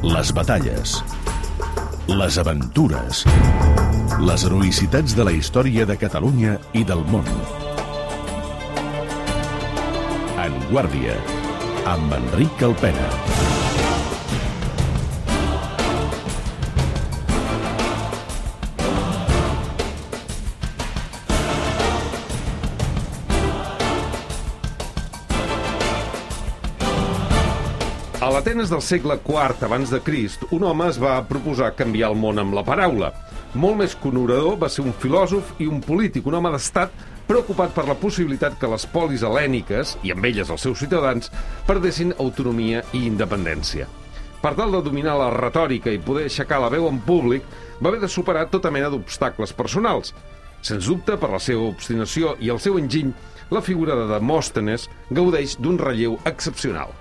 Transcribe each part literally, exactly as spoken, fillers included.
les batalles, les aventures, les heroïcitats de la història de Catalunya i del món. En Guàrdia, amb Enric Alpena. A l'Atenes del segle quart abans de Crist, un home es va proposar canviar el món amb la paraula. Molt més que un orador, va ser un filòsof i un polític, un home d'estat preocupat per la possibilitat que les polis hel·lèniques, i amb elles els seus ciutadans, perdessin autonomia i independència. Per tal de dominar la retòrica i poder aixecar la veu en públic, va haver de superar tota mena d'obstacles personals. Sens dubte, per la seva obstinació i el seu enginy, la figura de Demòstenes gaudeix d'un relleu excepcional.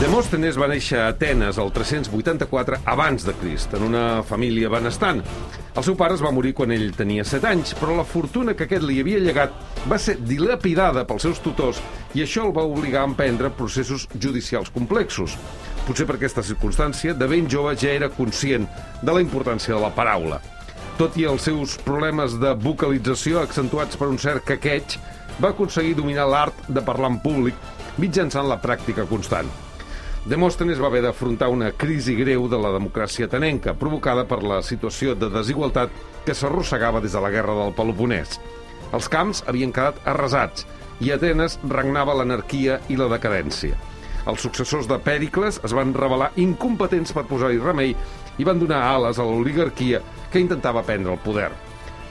Demòstenes va néixer a Atenes el tres-cents vuitanta-quatre abans de Crist, en una família benestant. El seu pare es va morir quan ell tenia set anys, però la fortuna que aquest li havia llegat va ser dilapidada pels seus tutors i això el va obligar a emprendre processos judicials complexos. Potser per aquesta circumstància, de ben jove ja era conscient de la importància de la paraula. Tot i els seus problemes de vocalització accentuats per un cert quequeig, va aconseguir dominar l'art de parlar en públic mitjançant la pràctica constant. Demòstenes va haver d'afrontar una crisi greu de la democràcia atenenca, provocada per la situació de desigualtat que s'arrossegava des de la guerra del Peloponès. Els camps havien quedat arrasats i a Atenes regnava l'anarquia i la decadència. Els successors de Pèricles es van revelar incompetents per posar-hi remei i van donar ales a l'oligarquia que intentava prendre el poder.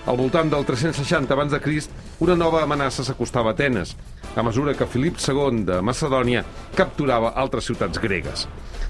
Al voltant del tres-cents seixanta abans de Crist, una nova amenaça s'acostava a Atenes, a mesura que Filip segon de Macedònia capturava altres ciutats gregues.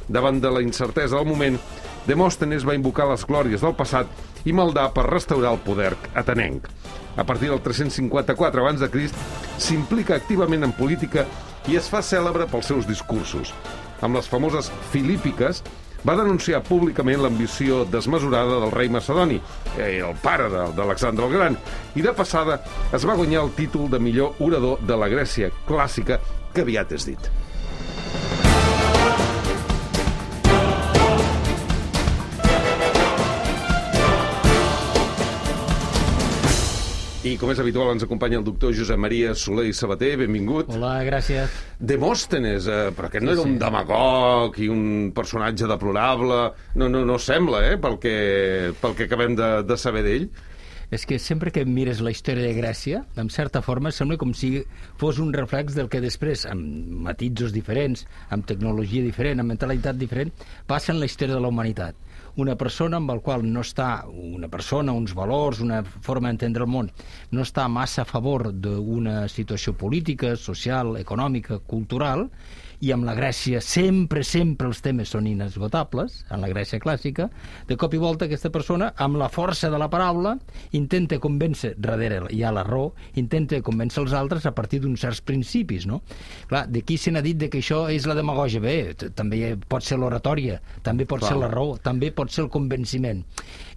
Davant de la incertesa del moment, Demòstenes va invocar les glòries del passat i maldar per restaurar el poder atenenc. A partir del tres-cents cinquanta-quatre abans de Crist, s'implica activament en política i es fa cèlebre pels seus discursos. Amb les famoses Filípiques, va denunciar públicament l'ambició desmesurada del rei macedoni, el pare d'Alexandre el Gran, i de passada es va guanyar el títol de millor orador de la Grècia clàssica, que aviat és dit. I, com és habitual, ens acompanya el doctor Josep Maria Soler i Sabater. Benvingut. Hola, gràcies. Demòstenes, eh, però aquest no Sí, era un sí. demagog i un personatge deplorable. No, no, no sembla, eh, pel que, pel que acabem de, de saber d'ell. És que sempre que mires la història de Grècia, en certa forma, sembla com si fos un reflex del que després, amb matisos diferents, amb tecnologia diferent, amb mentalitat diferent, passa en la història de la humanitat. Una persona amb el qual no està, una persona, uns valors, una forma d'entendre el món, no està massa a favor d'una situació política, social, econòmica, cultural, i amb la Grècia sempre, sempre els temes són inesgotables, en la Grècia clàssica, de cop i volta aquesta persona, amb la força de la paraula, intenta convèncer, darrere hi ha la raó, intenta convèncer els altres a partir d'uns certs principis, no? Clar, d'aquí se n'ha dit de que això és la demagògia. Bé, també pot ser l'oratòria, també pot Clar. ser la raó, també pot ser el convenciment.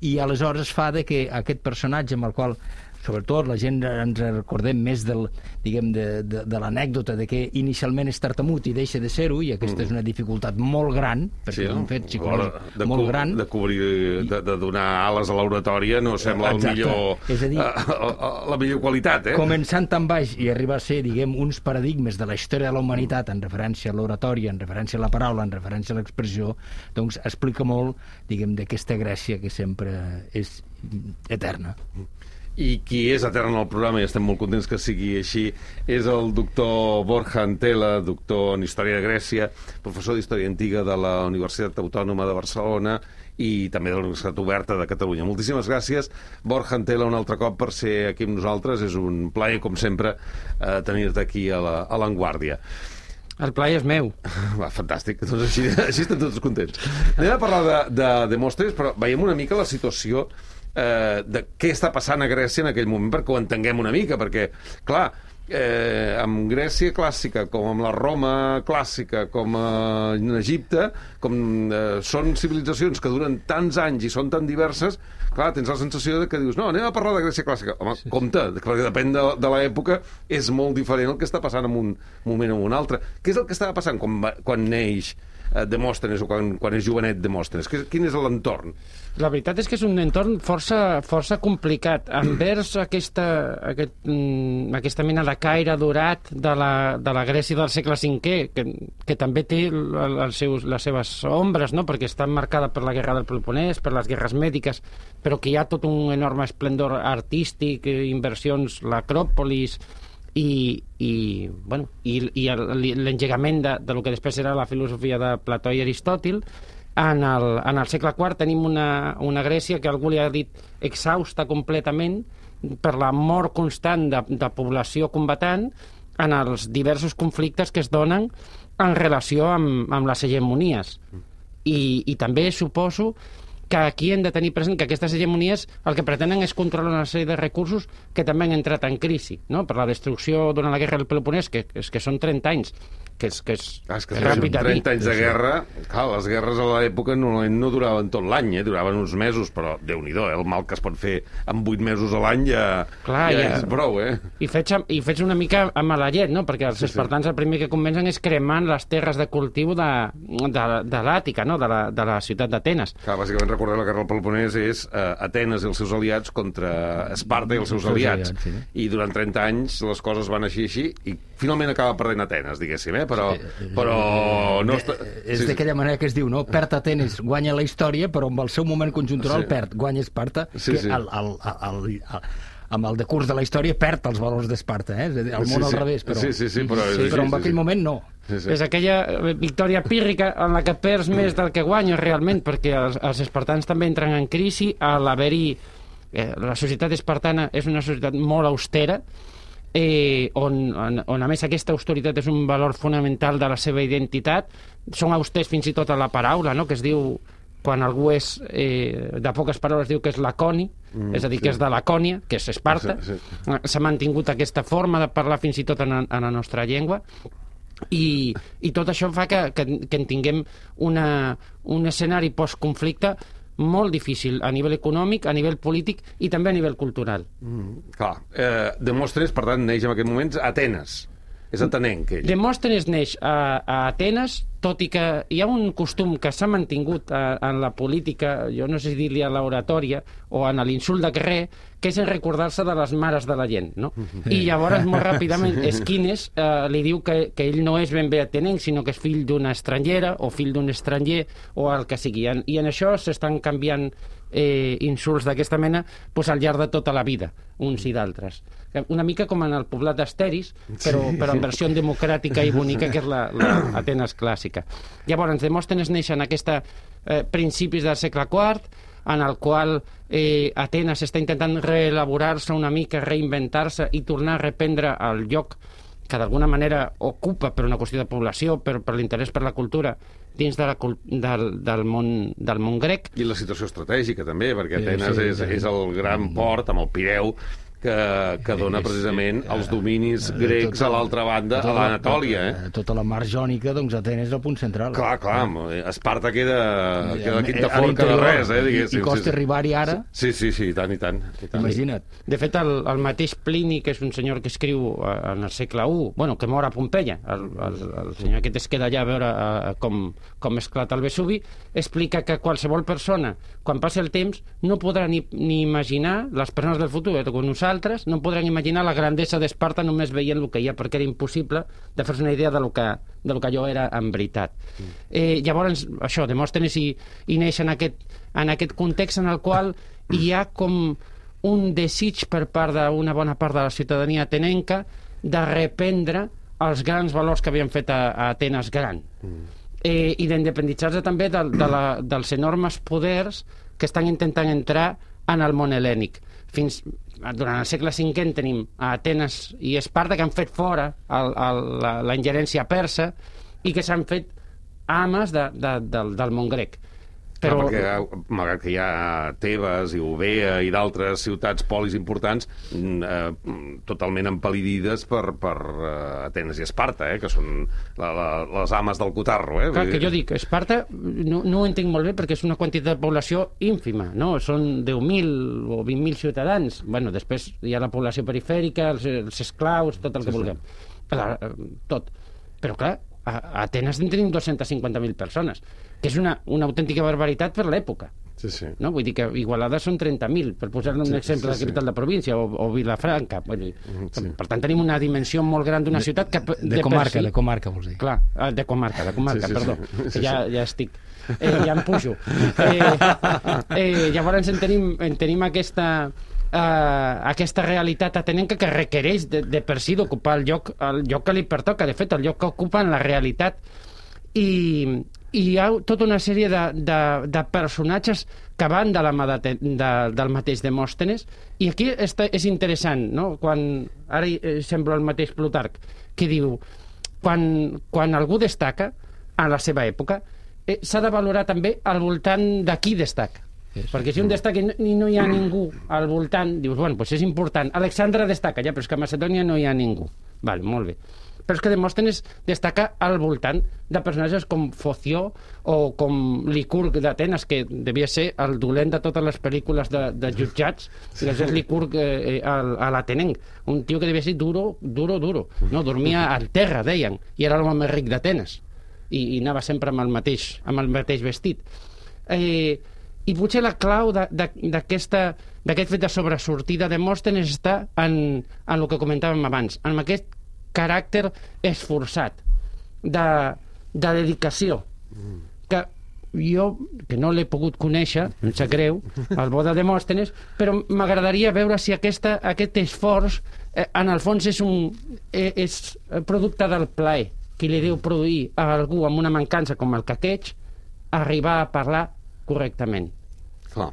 I aleshores fa de que aquest personatge amb el qual sobretot la gent ens recordem més del, diguem, de, de, de l'anècdota de que inicialment és tartamut i deixa de ser-ho, i aquesta mm. és una dificultat molt gran, perquè sí, és un fet psicològic molt gran. De cobrir, de, de donar ales a l'oratòria no sembla el millor, és a dir, la millor qualitat, eh? Començant tan baix i arribar a ser, diguem, uns paradigmes de la història de la humanitat en referència a l'oratòria, en referència a la paraula, en referència a l'expressió, doncs explica molt, diguem, d'aquesta Grècia que sempre és eterna. I qui és etern en el programa, i estem molt contents que sigui així, és el doctor Borja Antela, doctor en Història de Grècia, professor d'Història Antiga de la Universitat Autònoma de Barcelona i també de la Universitat Oberta de Catalunya. Moltíssimes gràcies, Borja Antela, un altre cop per ser aquí amb nosaltres. És un plaer, com sempre, eh, tenir-te aquí a la, a l'Avantguàrdia. El plaer és meu. Va, fantàstic, doncs així, així estem tots contents. Anem a parlar de, de Demòstenes, però veiem una mica la situació eh, de què està passant a Grècia en aquell moment, perquè ho entenguem una mica, perquè, clar, eh, amb Grècia clàssica, com amb la Roma clàssica, com eh, en Egipte, com eh, són civilitzacions que duren tants anys i són tan diverses, clar, tens la sensació de que dius, no, anem a parlar de Grècia clàssica. Home, sí, compte, perquè depèn de, de l'època, és molt diferent el que està passant en un moment o en un altre. Què és el que estava passant quan, va, quan neix eh, Demòstenes o quan, quan és jovenet Demòstenes? Quin és l'entorn? La veritat és que és un entorn força, força complicat. Envers aquesta, aquest, mm, aquesta mena de caire dorat de la, de la Grècia del segle cinquè, que, que també té el, els seus, les seves ombres, no? Perquè està marcada per la guerra del Peloponès, per les guerres mèdiques, però que hi ha tot un enorme esplendor artístic, inversions, l'Acròpolis, i, i, bueno, i, i l'engegament de, de lo que després era la filosofia de Plató i Aristòtil. En el, en el segle quart tenim una, una Grècia que algú li ha dit exhausta completament per la mort constant de, de població combatant en els diversos conflictes que es donen en relació amb, amb les hegemonies. I, i també suposo que aquí hem de tenir present que aquestes hegemonies el que pretenen és controlar una sèrie de recursos que també han entrat en crisi, no? Per la destrucció durant la guerra del Peloponès, que, que, que són trenta anys, que és, que és, ah, és que ràpid a dir. trenta anys de guerra, clar, les guerres a l'època no, no duraven tot l'any, eh? Duraven uns mesos, però Déu-n'hi-do, eh? El mal que es pot fer en vuit mesos a l'any ja, clar, ja, ja és prou, eh? I fets, I fets una mica a mala llet, no? Perquè els sí, espartans sí. el primer que comencen és cremant les terres de cultiu de, de, de l'Àtica, no? De la, de la ciutat d'Atenes. Clar, bàsicament, recordem, la guerra del Peloponès és eh, Atenes i els seus aliats contra Esparta i els seus aliats. Sí. I durant trenta anys les coses van així així i finalment acaba perdent Atenes, diguéssim, eh? Però, però no... Està... És sí, d'aquella manera que es diu, no? Perd Atenes, guanya la història, però amb el seu moment conjuntural sí. perd, guanya Esparta, sí, que sí. El, el, el, el, el, amb el decurs de la història perd els valors d'Esparta, eh? El món sí, sí. al revés, però, sí, sí, sí, però, sí, però sí, en aquell sí. moment no. Sí, sí. És aquella victòria pírrica en la que perds més del que guanyes realment, perquè els, els espartans també entren en crisi a l'haver-hi... Eh, la societat espartana és una societat molt austera, eh, on, on, on a més aquesta austeritat és un valor fonamental de la seva identitat. Són austers fins i tot a la paraula, no? Que es diu, quan algú és eh, de poques paraules, diu que és laconi, mm, és a dir, sí. que és de Lacònia, que és Esparta. S'ha sí, sí. mantingut aquesta forma de parlar fins i tot en, en la nostra llengua. I, i tot això fa que, que, que en tinguem una, un escenari postconflicte molt difícil a nivell econòmic, a nivell polític i també a nivell cultural. Mm, clar. Eh, Demòstenes, per tant, neix en aquest moment a Atenes. És atenenc, ell. Demòstenes neix a, a Atenes, tot i que hi ha un costum que s'ha mantingut a, en la política, jo no sé si dir-li a l'oratòria o en l'insult de carrer, que és en recordar-se de les mares de la gent, no? I llavors, molt ràpidament, Esquines eh, li diu que, que ell no és ben bé atenenc, sinó que és fill d'una estrangera o fill d'un estranger o el que sigui. I en això s'estan canviant eh, insults d'aquesta mena pues, al llarg de tota la vida, uns i d'altres. Una mica com en el poblat d'Asteris, però, sí. però en versió democràtica i bonica, que és la, la Atenes clàssica. Llavors, Demòstenes neix en aquesta eh, principis del segle quart, en el qual eh, Atenes està intentant reelaborar-se una mica, reinventar-se i tornar a reprendre el lloc que d'alguna manera ocupa per una qüestió de població, per, per l'interès per la cultura, dins de la, del, del, món, del món grec. I la situació estratègica també, perquè Atenes sí, és, és el gran port amb el Pireu, que, que dona precisament els dominis grecs a l'altra banda, a l'Anatòlia. Eh? Tota la mar jònica, doncs Atenes és el punt central. Clar, clar, Esparta queda, queda quinta forca de res, eh, diguéssim. I, i costa arribar-hi ara? Sí, sí, sí, i tant, i tant. I tant. Imagina't. De fet, el, el mateix Plini, que és un senyor que escriu en el segle u, bueno, que mor a Pompeia, el, el, el senyor aquest es queda allà a veure a, com, com esclata el Vesuvi, explica que qualsevol persona, quan passi el temps, no podrà ni, ni imaginar, les persones del futur, eh, com nosaltres, no podran imaginar la grandesa d'Esparta només veient el que hi ha, perquè era impossible de fer-se una idea de lo que, de lo que allò era en veritat. Mm. Eh, llavors, això, Demòstenes i, i neix en aquest, en aquest context en el qual hi ha com un desig per part d'una bona part de la ciutadania atenenca de reprendre els grans valors que havien fet a, a Atenes gran. Mm. Eh, i d'independitzar-se també de, de la, dels enormes poders que estan intentant entrar en el món hel·lènic. Fins, durant el segle cinquè tenim a Atenes i Esparta que han fet fora el, el, la, la ingerència persa i que s'han fet ames de, de, del, del món grec. Però... Clar, perquè, malgrat que hi ha Tebes i Eubea i d'altres ciutats polis importants, eh, totalment empal·lidides per, per uh, Atenes i Esparta, eh, que són la, la, les ames del cotarro. Eh? Clar, que jo dic, Esparta no, no ho entenc molt bé perquè és una quantitat de població ínfima, no? Són deu mil o vint mil ciutadans. Bueno, després hi ha la població perifèrica, els, els esclaus, tot el que sí, vulguem. Sí. Clar, tot. Però clar, a Atenes en tenim dos-cents cinquanta mil persones, que és una, una autèntica barbaritat per l'època. Sí, sí. No? Vull dir que Igualada són trenta mil, per posar-ne un sí, exemple sí, de capital sí. de província, o, o Vilafranca. Vull dir, sí. Per tant, tenim una dimensió molt gran d'una ciutat que... De, de, de comarca, si, de comarca, vols dir. Clar, de comarca, de comarca, sí, sí, perdó. Sí, sí, ja, ja estic... Eh, ja em pujo. Eh, eh, llavors en tenim, en tenim aquesta... Uh, aquesta realitat atenenca que requereix de, de per si d'ocupar el lloc, el lloc que li pertoca, de fet el lloc que ocupa en la realitat, i, i hi ha tota una sèrie de, de, de personatges que van de la mà de, de, del mateix Demòstenes, i aquí està, és interessant, no? Quan ara eh, sembla el mateix Plutarc, que diu quan, quan algú destaca a la seva època, eh, s'ha de valorar també al voltant de qui destaca. Sí, perquè si un destaca i no hi ha ningú al voltant, dius, bueno, doncs és important. Alexandre destaca, ja, però és que a Macedònia no hi ha ningú. Vale, molt bé. Però és que Demòstenes destaca al voltant de personatges com Foció o com Licurg d'Atenes, que devia ser el dolent de totes les pel·lícules de, de jutjats, sí. És Licurg eh, a, a l'Atenenc. Un tio que devia ser duro, duro, duro. No, dormia al terra, deien, i era l'home més ric d'Atenes. I, i anava sempre amb el mateix, amb el mateix vestit. Eh... I potser la clau d'aquest fet de sobresortida de Demòstenes està en, en el que comentàvem abans, en aquest caràcter esforçat de, de dedicació, que jo, que no l'he pogut conèixer, em sap greu, el bo de Demòstenes, però m'agradaria veure si aquesta, aquest esforç, eh, en el fons, és, un, eh, és producte del plaer que li deu produir a algú amb una mancança com el caqueig arribar a parlar correctament. Clar,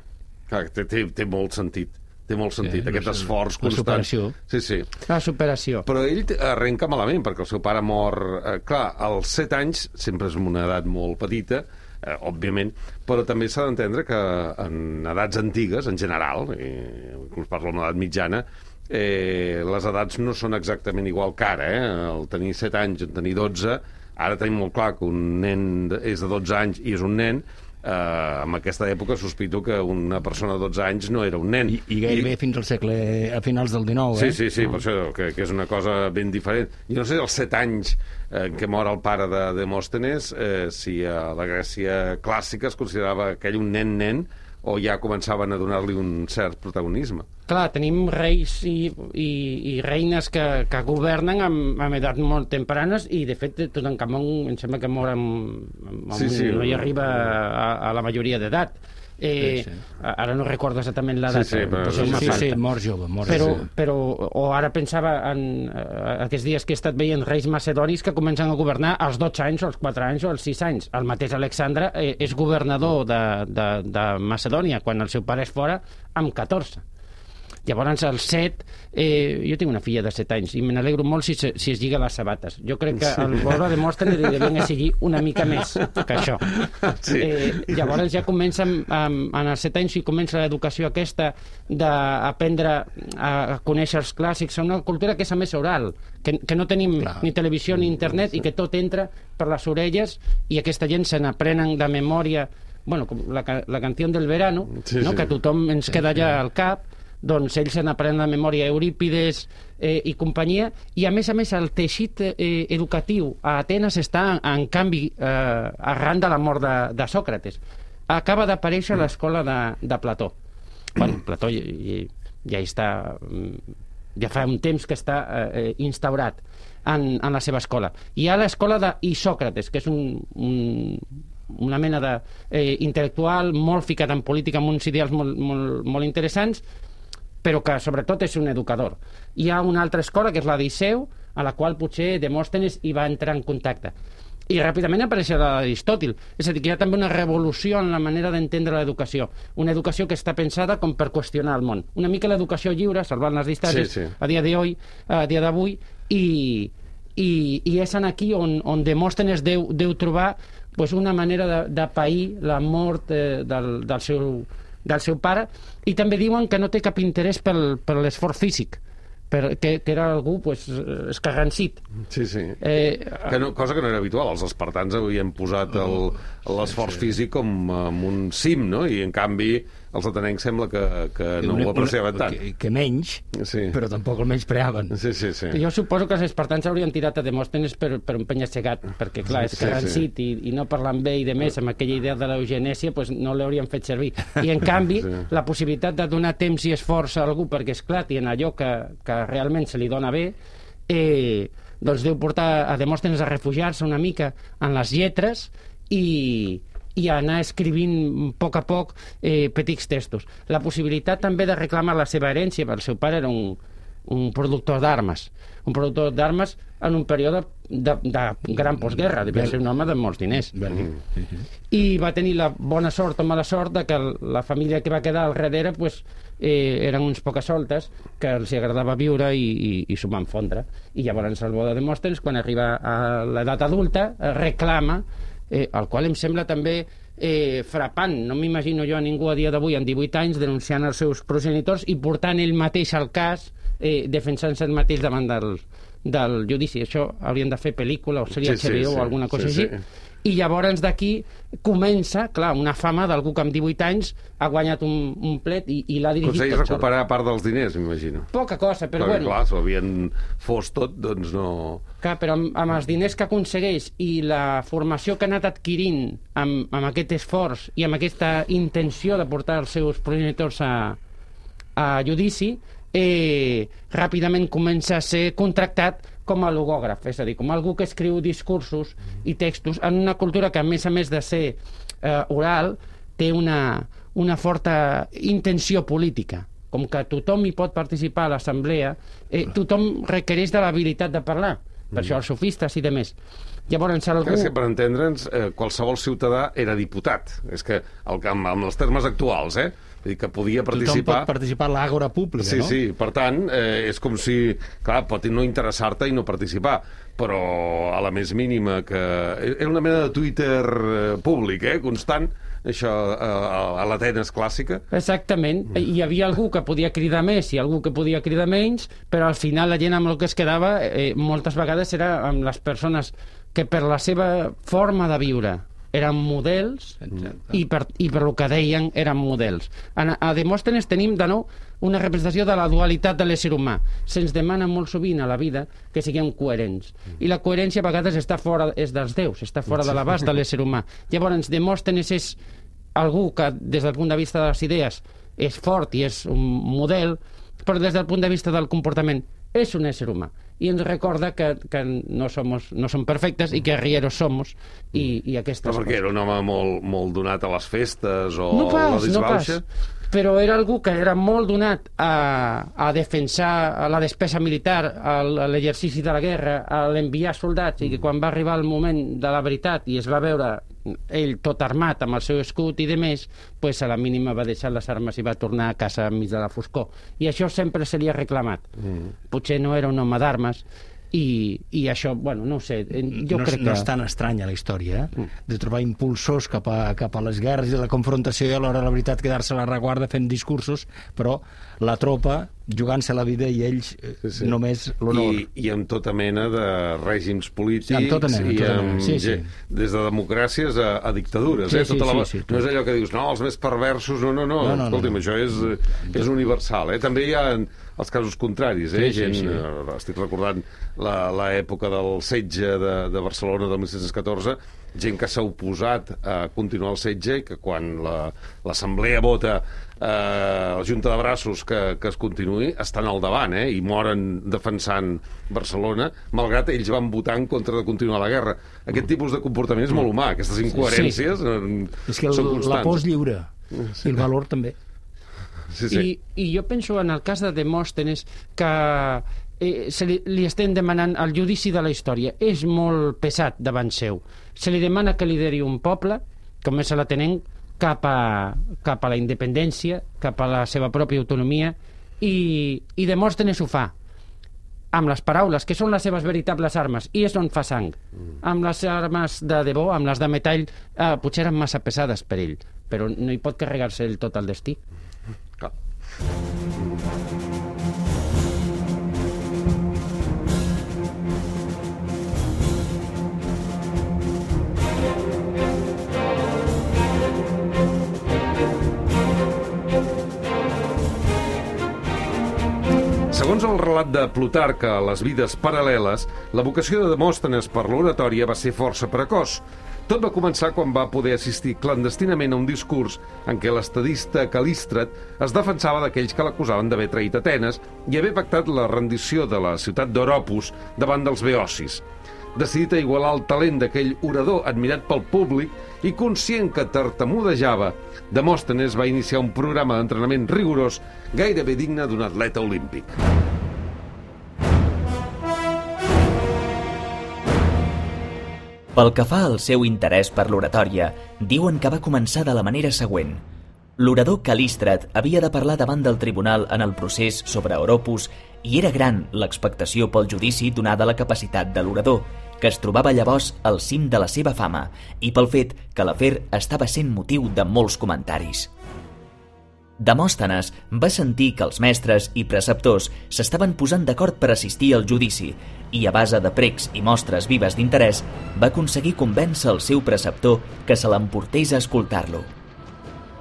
clar té, té, té molt sentit. Té molt sentit, eh, aquest no sé, esforç constant. La superació. Sí, sí. La superació. Però ell arrenca malament, perquè el seu pare mor... Eh, clar, als set anys, sempre és una edat molt petita, eh, òbviament, però també s'ha d'entendre que en edats antigues, en general, eh, inclús parlo d'una edat mitjana, eh, les edats no són exactament igual que ara, eh? El tenir set anys, el tenir dotze, ara tenim molt clar que un nen és de dotze anys i és un nen. Uh, en aquesta època sospito que una persona de dotze anys no era un nen. I, i gairebé I... fins al segle, a finals del dinou, sí, eh? Sí, sí, per això, que, que és una cosa ben diferent. Jo no sé, als set anys en què mor el pare de Demòstenes, eh, si a la Grècia clàssica es considerava aquell un nen-nen o ja començaven a donar-li un cert protagonisme. Clar, tenim reis i, i, i reines que, que governen amb, amb edats molt tempranes i, de fet, Tutankamon em sembla que mor amb, amb sí, sí, no hi arriba a, a la majoria d'edat. Eh, sí, sí. Ara no recordo exactament la data. Sí, sí, però, sí, sí, sí, mort jove. Mort però, sí. però, o ara pensava en uh, aquests dies que he estat veient reis macedonis que comencen a governar als dotze anys, o als quatre anys, o als sis anys. El mateix Alexandre eh, és governador de, de, de Macedònia quan el seu pare és fora amb catorze. Llavors, al set, eh, jo tinc una filla de set anys i me n'alegro molt si, si es lliga les sabates. Jo crec que el Borra Demòstenes li devien exigir una mica més que això. Sí. Eh, llavors ja comença, amb, en els set anys, i comença l'educació aquesta d'aprendre a conèixer els clàssics. És una cultura que és a més oral, que, que no tenim Clar. ni televisió ni internet i que tot entra per les orelles i aquesta gent se n'aprenen de memòria, bueno, com la, la canció del verano, sí, no? Sí. Que tothom ens queda allà al cap. Doncs ells se n'aprenen de memòria Eurípides eh, i companyia, i a més a més el teixit eh, educatiu a Atenes està en, en canvi eh, arran de la mort de, de Sòcrates. Acaba d'aparèixer l'escola de, de Plató. Bueno, Plató ja, ja està ja fa un temps que està eh, instaurat en, en la seva escola. Hi ha l'escola d'Isòcrates, que és un, un una mena d'intel·lectual eh, molt ficat en política, amb uns ideals molt, molt, molt interessants, però que sobretot és un educador. Hi ha una altra escola, que és la d'Iseu, a la qual potser Demòstenes hi va entrar en contacte. I ràpidament apareix la d'Aristòtil. És a dir, que hi ha també una revolució en la manera d'entendre l'educació. Una educació que està pensada com per qüestionar el món. Una mica l'educació lliure, salvant les distàncies, sí, sí. a dia d'avui, a dia d'avui, i, i, i és en aquí on, on Demòstenes deu, deu trobar pues, una manera de, de pair la mort eh, del, del, seu, del seu pare, i també diuen que no té cap interès pel, per l'esforç físic, per, que, que era algú pues, escarransit. Sí, sí. Eh, que no, cosa que no era habitual. Els espartans havien posat l'esforç físic com um, un cim, no? I, en canvi, els atenencs sembla que, que no ho apreciaven tant. Que, que menys, sí. Però tampoc el menyspreaven. Sí, sí, sí. Jo suposo que els espartans haurien tirat a Demòstenes per, per un penya-segat, perquè, clar, és carransit sí, sí. i, i no parlant bé i de més, amb aquella idea de l'eugenèsia, pues, no l'haurien fet servir. I, en canvi, sí. la possibilitat de donar temps i esforç a algú perquè esclati en allò que, que realment se li dona bé, eh, doncs deu portar a Demòstenes a refugiar-se una mica en les lletres i i anar escrivint a poc a poc eh, petits textos. La possibilitat també de reclamar la seva herència, perquè el seu pare era un, un productor d'armes, un productor d'armes en un període de, de gran postguerra, devia ser un home de molts diners. I va tenir la bona sort o mala sort de que la família que va quedar al darrere pues, eh, eren uns poques soltes que els agradava viure i, i, i s'ho van fondre. I llavors el bo de Demòstenes, quan arriba a l'edat adulta, reclama Eh, el qual em sembla també eh, frapant. No m'imagino jo a ningú a dia d'avui, amb divuit anys, denunciant els seus progenitors i portant ell mateix al cas, eh, defensant-se ell mateix davant del, del judici. Això haurien de fer pel·lícula o sèrie sí, H B O sí, o alguna cosa sí, així. Sí. I llavors d'aquí comença, clar, una fama d'algú que amb divuit anys ha guanyat un, un plet i, i l'ha dirigit Aconsegueix tot sol. recuperar part dels diners, m'imagino. Poca cosa, però Perquè, bueno. clar, s'ho havien fos tot, doncs no... Clar, però amb, amb els diners que aconsegueix i la formació que ha anat adquirint amb, amb aquest esforç i amb aquesta intenció de portar els seus progenitors a, a judici, eh, ràpidament comença a ser contractat com a logògraf, és a dir, com algú que escriu discursos i textos en una cultura que, a més a més de ser eh, oral, té una, una forta intenció política. Com que tothom hi pot participar a l'assemblea, eh, tothom requereix de l'habilitat de parlar. Per mm. això els sofistes i demés. Llavors, algú... És que, per entendre'ns, eh, qualsevol ciutadà era diputat. És que, el, amb, amb els termes actuals, eh? Vull dir que podia participar... Tothom pot participar a l'àgora pública, sí, no? Sí, sí. Per tant, eh, és com si... Clar, pot no interessar-te i no participar, però a la més mínima que... Era una mena de Twitter eh, públic, eh? Constant, això a, a l'Atenes clàssica. Exactament. Mm. Hi havia algú que podia cridar més i algú que podia cridar menys, però al final la gent amb el que es quedava eh, moltes vegades era amb les persones que per la seva forma de viure eren models i per, i per el que deien eren models. A, a Demòstenes tenim de nou una representació de la dualitat de l'ésser humà. Se'ns demana molt sovint a la vida que siguem coherents. I la coherència a vegades està fora, és dels déus, està fora de l'abast de l'ésser humà. Llavors, Demòstenes és algú que, des del punt de vista de les idees, és fort i és un model, però des del punt de vista del comportament és un ésser humà. I ens recorda que, que no, somos, no som perfectes i que rieros somos i, i aquestes però perquè coses. era un home molt, molt donat a les festes o no pas, la disbauxa? No pas. Però era algú que era molt donat a, a defensar la despesa militar, a l'exercici de la guerra, a l'enviar soldats, i que quan va arribar el moment de la veritat i es va veure ell tot armat amb el seu escut i de més, pues a la mínima va deixar les armes i va tornar a casa enmig de la foscor. I això sempre se li ha reclamat. Mm. Potser no era un home d'armes, i, i això, bueno, no ho sé, jo no, crec que... No és tan estranya la història, eh? De trobar impulsors cap a, cap a les guerres i la confrontació i alhora, la veritat, quedar-se a la reguarda fent discursos, però la tropa jugant-se la vida i ells eh, sí, sí. només l'honor. I, I amb tota mena de règims polítics sí, amb tota mena, i tota amb, mena. Sí, sí. des de democràcies a, a dictadures. Sí, eh? Tota sí, la... sí, sí, no és allò que dius, no, els més perversos, no, no, no, no, no escolti'm, no, no. això és, és universal. Eh? També hi ha els casos contraris, eh? Sí, sí, Gent, sí. eh, estic recordant l'època del setge de, de Barcelona del mil set-cents catorze, gent que s'ha oposat a continuar el setge i que quan l'assemblea la, vota eh, la junta de braços que, que es continuï, estan al davant, eh? I moren defensant Barcelona, malgrat ells van votar en contra de continuar la guerra. Aquest tipus de comportament és molt humà, aquestes incoherències sí. eh, és que el, són constants. la por és lliure, sí. I el valor també. Sí, sí. I, I jo penso en el cas de Demòstenes que eh, se li, li estem demanant el judici de la història. És molt pesat davant seu. Se li demana que lideri un poble, com és l'Atenenc, cap a, cap a la independència, cap a la seva pròpia autonomia, i, i Demòstenes ho fa. amb les paraules, que són les seves veritables armes, i és on fa sang. Amb les armes de debò, amb les de metall, eh, potser eren massa pesades per ell, però no hi pot carregar-se ell tot el destí. Clar. Segons el relat de Plutarc a les vides paral·leles, la vocació de Demòstenes per l'oratòria va ser força precoç. Tot va començar quan va poder assistir clandestinament a un discurs en què l'estadista Calístrat es defensava d'aquells que l'acusaven d'haver traït Atenes i haver pactat la rendició de la ciutat d'Oropus davant dels beocis. Decidit a igualar el talent d'aquell orador admirat pel públic i conscient que tartamudejava, Demòstenes va iniciar un programa d'entrenament rigorós gairebé digne d'un atleta olímpic. Pel que fa al seu interès per l'oratòria, diuen que va començar de la manera següent. L'orador Calístrat havia de parlar davant del tribunal en el procés sobre Oropus i era gran l'expectació pel judici donada la capacitat de l'orador, que es trobava llavors al cim de la seva fama i pel fet que l'afer estava sent motiu de molts comentaris. Demòstenes va sentir que els mestres i preceptors s'estaven posant d'acord per assistir al judici i, a base de precs i mostres vives d'interès, va aconseguir convèncer el seu preceptor que se l'emportés a escoltar-lo.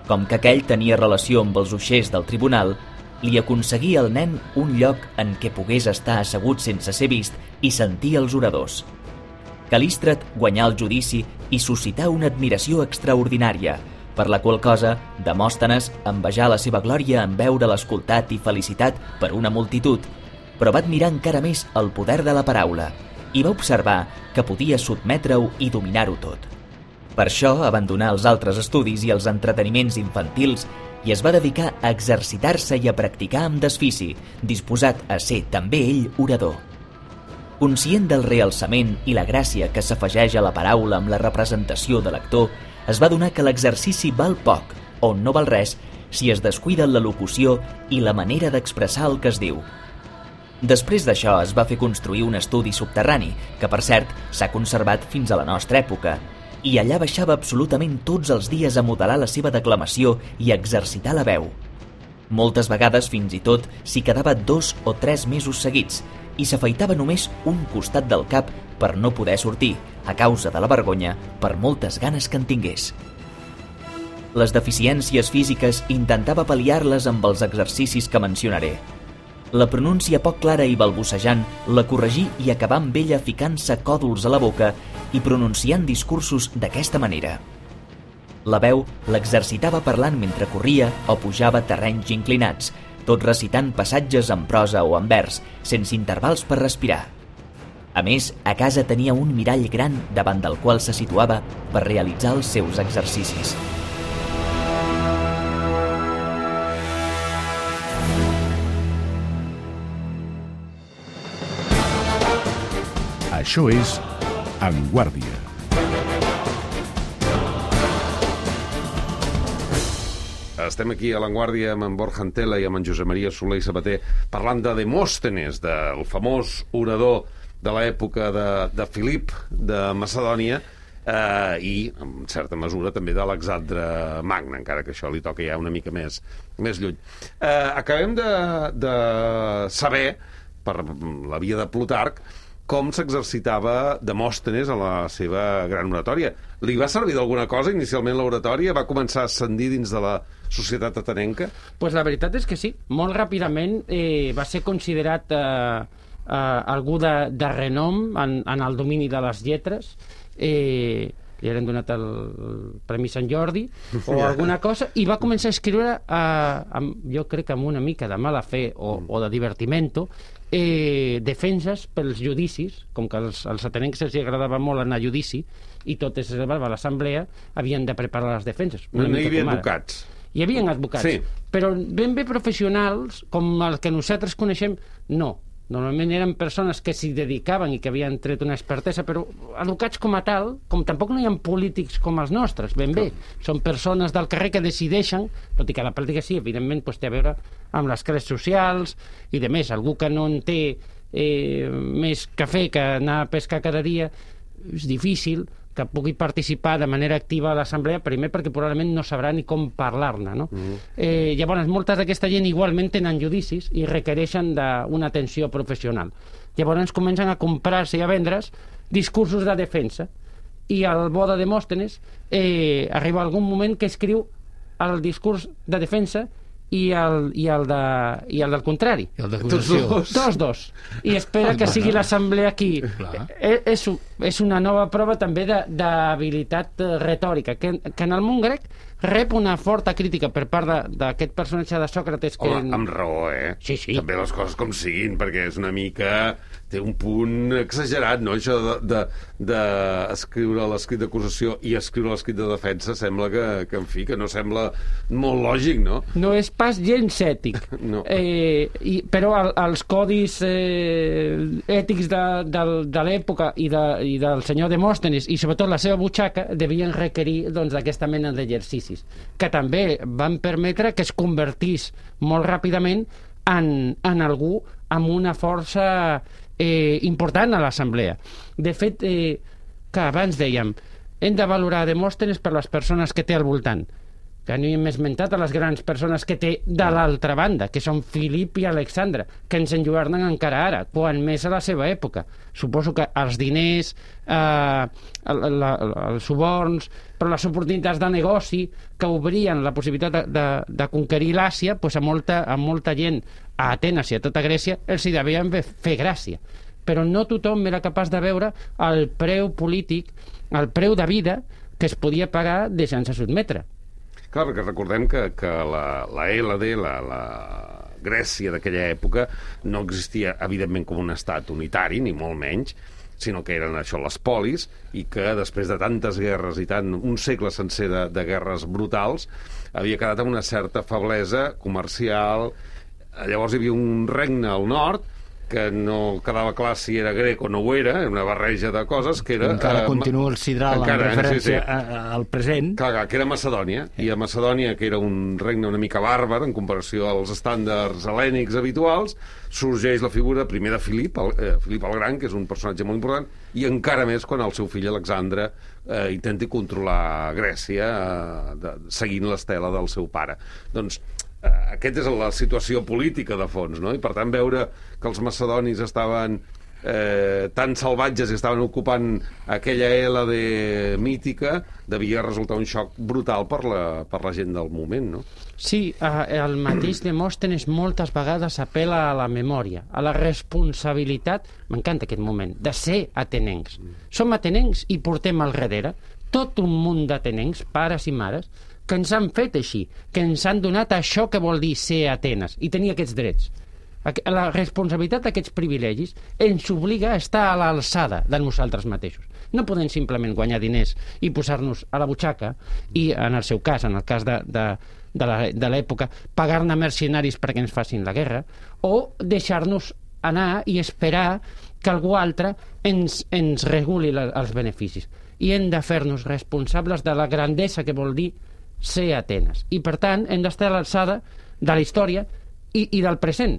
Com que aquell tenia relació amb els uixers del tribunal, li aconseguia al nen un lloc en què pogués estar assegut sense ser vist i sentir els oradors. Calístrat guanyà el judici i suscità una admiració extraordinària, per la qual cosa Demòstenes envejà la seva glòria en veure l'escoltat i felicitat per una multitud, però va admirar encara més el poder de la paraula i va observar que podia sotmetre-ho i dominar-ho tot. Per això abandonà els altres estudis i els entreteniments infantils i es va dedicar a exercitar-se i a practicar amb desfici, disposat a ser també ell orador. Conscient del realçament i la gràcia que s'afegeix a la paraula amb la representació de l'actor, es va adonar que l'exercici val poc, o no val res, si es descuida la locució i la manera d'expressar el que es diu. Després d'això es va fer construir un estudi subterrani, que per cert s'ha conservat fins a la nostra època, i allà baixava absolutament tots els dies a modelar la seva declamació i a exercitar la veu. Moltes vegades fins i tot s'hi quedava dos o tres mesos seguits i s'afeitava només un costat del cap per no poder sortir, a causa de la vergonya, per moltes ganes que en tingués. Les deficiències físiques intentava pal·liar-les amb els exercicis que mencionaré. La pronúncia poc clara i balbucejant la corregí i acabà amb ella ficant-se còdols a la boca i pronunciant discursos d'aquesta manera. La veu l'exercitava parlant mentre corria o pujava terrenys inclinats, tot recitant passatges en prosa o en vers, sense intervals per respirar. A més, a casa tenia un mirall gran davant del qual se situava per realitzar els seus exercicis. Això és En Guàrdia. Estem aquí a l'Avantguàrdia amb en Borja Antela i amb en Josep Maria Soler i Sabater parlant de Demòstenes, del famós orador de l'època de, de Filip de Macedònia eh, i, en certa mesura, també d'Alexandre Magne, encara que això li toca ja una mica més, més lluny. Eh, acabem de, de saber, per la via de Plutarc, com s'exercitava Demòstenes a la seva gran oratòria. Li va servir d'alguna cosa inicialment l'oratòria? Va començar a ascendir dins de la societat atenenca? Pues la veritat és que sí. Molt ràpidament eh, va ser considerat eh, eh, algú de, de renom en, en el domini de les lletres. Eh, li eren donat el, el Premi Sant Jordi o alguna cosa, i va començar a escriure eh, amb, jo crec que amb una mica de mala fe o, o de divertimento, eh, defenses pels judicis, com que als, als atenencs els agradava molt anar a judici i tot es reservava a l'assemblea, havien de preparar les defenses. No hi havia advocats. Hi havia advocats, sí. Però ben bé professionals, com el que nosaltres coneixem, no. Normalment eren persones que s'hi dedicaven i que havien tret una expertesa, però advocats com a tal, com tampoc no hi ha polítics com els nostres, ben bé. Són persones del carrer que decideixen, tot i que la pràctica sí, evidentment, pues, té a veure amb les classes socials i de més. Algú que no en té eh, més cafè que anar a pescar cada dia, és difícil que pugui participar de manera activa a l'assemblea, primer perquè probablement no sabrà ni com parlar-ne, no? Mm. Eh, llavors, moltes d'aquesta gent igualment tenen judicis i requereixen d'una atenció professional. Llavors comencen a comprar-se i a vendre's discursos de defensa, i el bo de Demòstenes eh, arriba algun moment que escriu el discurs de defensa i el, i el, de, i el del contrari. I el d'acusació. Tots dos. dos. I espera que sigui l'assemblea aquí. Eh, és, és una nova prova també d'habilitat retòrica, que, que en el món grec rep una forta crítica per part d'aquest personatge de Sòcrates. Que... Home, amb raó, eh? Sí, sí. També les coses com siguin, perquè és una mica... té un punt exagerat, no? Això d'escriure de, de, de l'escrit d'acusació i escriure l'escrit de defensa sembla que, que, en fi, que no sembla molt lògic, no? No és pas gens ètic. No. Eh, i, però el, els codis eh, ètics de, de, de l'època i, de, i del senyor Demòstenes, i sobretot la seva butxaca, devien requerir doncs, d'aquesta mena d'exercicis, que també van permetre que es convertís molt ràpidament en, en algú amb una força eh, important a l'assemblea. De fet, eh, que abans dèiem, hem de valorar Demòstenes per les persones que té al voltant, que no hem esmentat a les grans persones que té de l'altra banda, que són Filip i Alexandre, que ens enlluernen encara ara, quan més a la seva època. Suposo que els diners, eh, el, la, els suborns, però les oportunitats de negoci que obrien la possibilitat de, de, de conquerir l'Àsia, pues a, molta, a molta gent a Atenes i a tota Grècia els hi devien fer gràcia. Però no tothom era capaç de veure el preu polític, el preu de vida que es podia pagar deixant-se sotmetre. Clar, perquè recordem que, que la, la L D, la, la Grècia d'aquella època, no existia, evidentment, com un estat unitari, ni molt menys, sinó que eren això, les polis, i que després de tantes guerres i tant, un segle sencer de, de guerres brutals, havia quedat amb una certa feblesa comercial. Llavors hi havia un regne al nord que no quedava clar si era grec o no ho era, una barreja de coses que era... Encara eh, continua el sidral encara, en referència sí, sí. A, a, al present. Clar, clar, que era Macedònia, i a Macedònia, que era un regne una mica bàrbar en comparació als estàndards hel·lènics habituals, sorgeix la figura primer de Filip, el, eh, Filip el Gran, que és un personatge molt important, i encara més quan el seu fill Alexandre eh, intenti controlar Grècia eh, de, seguint l'estela del seu pare. Doncs Uh, aquesta és la situació política de fons, no? I per tant veure que els macedonis estaven eh, tan salvatges i estaven ocupant aquella L D mítica devia resultar un xoc brutal per la, per la gent del moment, no? Sí, uh, el mateix Demòstenes moltes vegades apel·la a la memòria, a la responsabilitat, m'encanta aquest moment, de ser atenencs. Som atenencs i portem al darrere tot un munt d'atenencs, pares i mares, que ens han fet així, que ens han donat això que vol dir ser Atenes i tenir aquests drets. La responsabilitat d'aquests privilegis ens obliga a estar a l'alçada de nosaltres mateixos. No podem simplement guanyar diners i posar-nos a la butxaca i, en el seu cas, en el cas de, de, de l'època, pagar-ne mercenaris perquè ens facin la guerra, o deixar-nos anar i esperar que algú altre ens, ens reguli la, els beneficis. I hem de fer-nos responsables de la grandesa que vol dir ser Atenes. I, per tant, hem d'estar a l'alçada de la història i, i del present.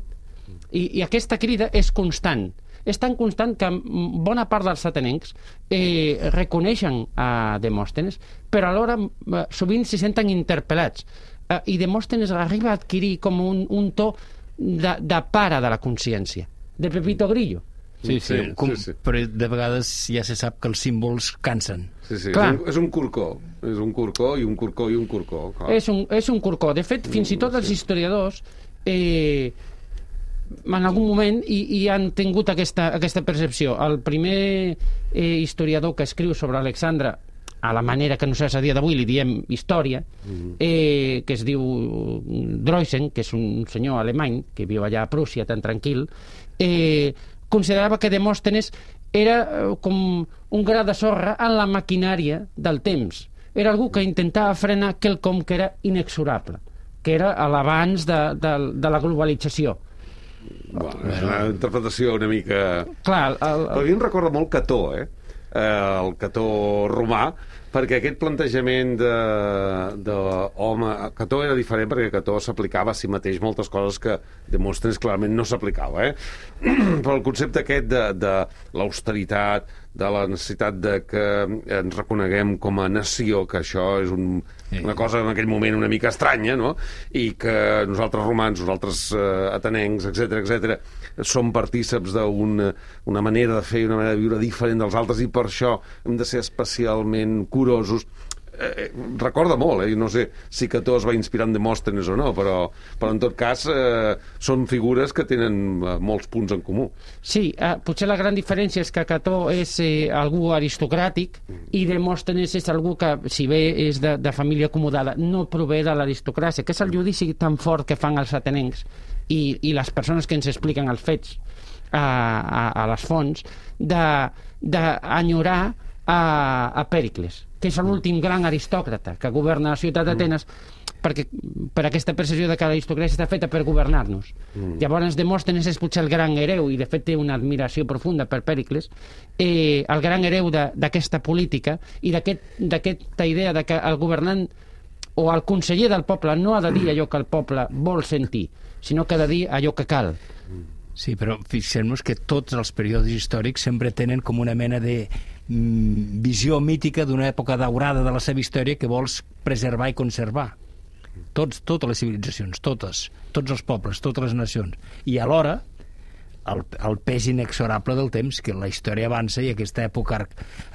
I, I aquesta crida és constant. És tan constant que bona part dels atenencs eh, reconeixen a Demòstenes, però alhora eh, sovint s'hi senten interpel·lats. Eh, I Demòstenes arriba a adquirir com un, un to de, de pare de la consciència, de Pepito Grillo. Sí, sí, sí, com, sí, sí. Però de vegades ja se sap que els símbols cansen. Sí, sí, és un, és un corcó. És un corcó i un corcó i un corcó. És un, és un corcó. De fet, fins i tot els historiadors eh, en algun moment hi, hi han tingut aquesta, aquesta percepció. El primer eh, historiador que escriu sobre Alexandre, a la manera que nosaltres a dia d'avui li diem història, eh, que es diu Droysen, que és un senyor alemany que viu allà a Prússia tan tranquil, eh, considerava que Demòstenes era com un gra de sorra en la maquinària del temps. Era algú que intentava frenar quelcom que era inexorable, que era l'abans de, de, de la globalització. Bueno, és una interpretació una mica... Clar, el, el... Però a mi em recorda molt Cató, eh? El Cató romà, perquè aquest plantejament de, de home, Cató era diferent perquè Cató s'aplicava a si mateix moltes coses que Demòstenes clarament no s'aplicava, eh? Però el concepte aquest de, de l'austeritat, de la necessitat de que ens reconeguem com a nació, que això és un, una cosa en aquell moment una mica estranya, no? I que nosaltres romans, nosaltres eh, atenencs, etcètera, etcètera, som partíceps d'una una manera de fer i una manera de viure diferent dels altres, i per això hem de ser especialment curosos. Eh, recorda molt, eh? No sé si Cató es va inspirar en Demòstenes o no, però, però en tot cas eh, són figures que tenen eh, molts punts en comú. Sí, eh, potser la gran diferència és que Cató és eh, algú aristocràtic i Demòstenes és algú que, si bé és de, de família acomodada, no prové de l'aristocràcia, que és el judici tan fort que fan els atenencs i, i les persones que ens expliquen els fets a, a, a les fonts, d'enyorar a, a Pèricles, que és l'últim gran aristòcrata que governa la ciutat d'Atenes, perquè per aquesta percepció de que l'aristocràcia està feta per governar-nos. Mm. Llavors Demòstenes és potser el gran hereu, i de fet té una admiració profunda per Pèricles, eh, el gran hereu d'aquesta política i d'aquesta aquest, idea de que el governant o el conseller del poble no ha de dir allò que el poble vol sentir, sinó que ha de dir allò que cal. Sí, però fixem-nos que tots els períodes històrics sempre tenen com una mena de mm, visió mítica d'una època daurada de la seva història que vols preservar i conservar. Tots, totes les civilitzacions, totes, tots els pobles, totes les nacions. I alhora, el, el pes inexorable del temps, que la història avança, i aquesta època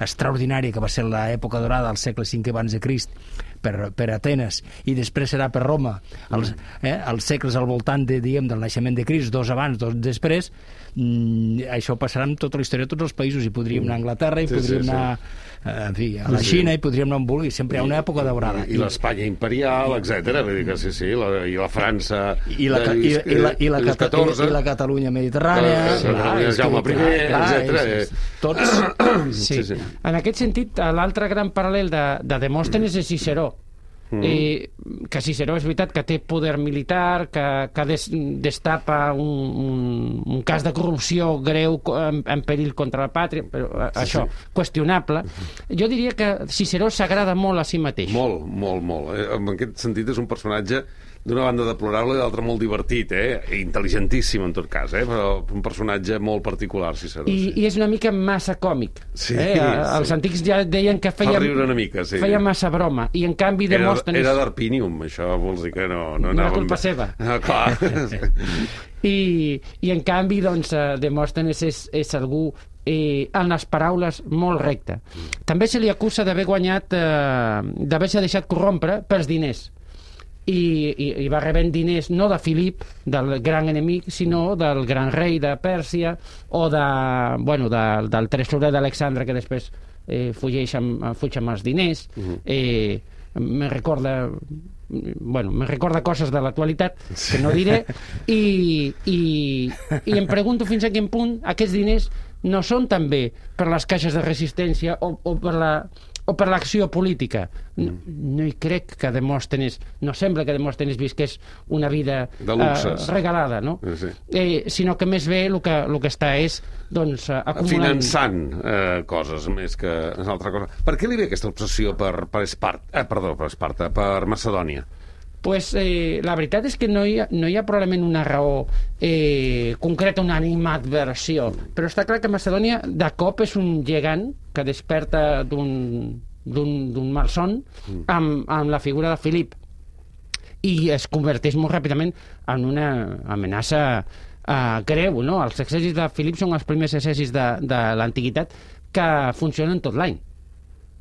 extraordinària que va ser l'època dorada al segle cinquè abans de Crist per, per Atenes, i després serà per Roma, els, eh, els segles al voltant de, diguem, del naixement de Crist, dos abans, dos després, mm, això passarà amb tota la història de tots els països, i podríem anar a Anglaterra, i sí, podríem sí, anar sí. En fi, a la Xina, sí. I podríem anar on vulgui, sempre hi ha una època daurada. I, i l'Espanya imperial, etcètera, vull dir que sí, sí, la, i la França i la, de Lluís, i, i la, i la, Lluís catorze, i la Catalunya mediterrània, Catalunya Jaume primer, etcètera. Tots. Sí. Sí, sí. En aquest sentit, l'altre gran paral·lel de, de Demòstenes és Ciceró. Mm. I que Ciceró és veritat que té poder militar, que, que des, destapa un, un, un cas de corrupció greu en, en perill contra la pàtria, però sí, això, sí. Qüestionable. Jo diria que Ciceró s'agrada molt a si mateix. Molt, molt, molt. En aquest sentit és un personatge d'una banda deplorable i d'altra molt divertit, eh? Intel·ligentíssim en tot cas, eh? Però un personatge molt particular, Ciceró. I, sí. I és una mica massa còmic. Sí, eh? Els sí. antics ja deien que feia, fa riure una mica, sí. feia massa broma, i en canvi Demòstenes... Era, era d'Arpinium, això vols dir que no... No, no era culpa seva. Ah, clar. I, I en canvi, doncs, Demòstenes és, és algú eh, en les paraules molt recte. També se li acusa d'haver guanyat, eh, d'haver-se deixat corrompre pels diners. I, i, i va rebent diners no de Filip, del gran enemic, sinó del gran rei de Pèrsia, o de, bueno, de, del tresorer d'Alexandre, que després eh, fugeix amb, fuig amb els diners. Uh-huh. eh, me recorda bueno, me recorda coses de l'actualitat que no diré, i, i, i em pregunto fins a quin punt aquests diners no són també per les caixes de resistència o, o per la o per l'acció política. No, no hi crec que Demòstenes, no sembla que Demòstenes visqués una vida eh, regalada, no? Sí. Eh, sinó que més bé el que, el que està és doncs, acumulant... Finançant eh, coses més que una altra cosa. Per què li ve aquesta obsessió per, per Esparta? Eh, perdó, per Esparta, per Macedònia? Pues, eh, la veritat és que no hi ha, no hi ha probablement una raó eh, concreta, una animadversió, però està clar que Macedònia de cop és un gegant que desperta d'un malson amb, amb la figura de Filip, i es converteix molt ràpidament en una amenaça eh, greu, no? Els exèrcits de Filip són els primers exèrcits de, de l'antiguitat que funcionen tot l'any.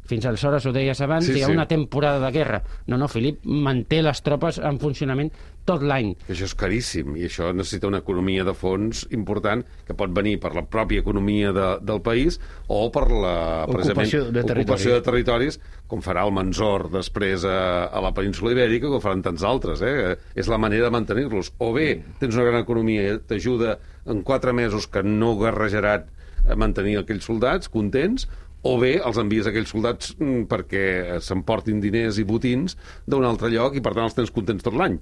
Fins aleshores, ho deies abans, sí, hi ha sí. una temporada de guerra. No, no, Filip manté les tropes en funcionament tot l'any. Això és caríssim, i això necessita una economia de fons important, que pot venir per la pròpia economia de, del país o per la ocupació de, ocupació de territoris, com farà el Mansor després a, a la península Ibèrica, com faran tants altres. Eh? És la manera de mantenir-los. O bé tens una gran economia i t'ajuda en quatre mesos que no guerrejaran a mantenir aquells soldats contents, o bé els envies a aquells soldats perquè s'emportin diners i botins d'un altre lloc i per tant els tens contents tot l'any.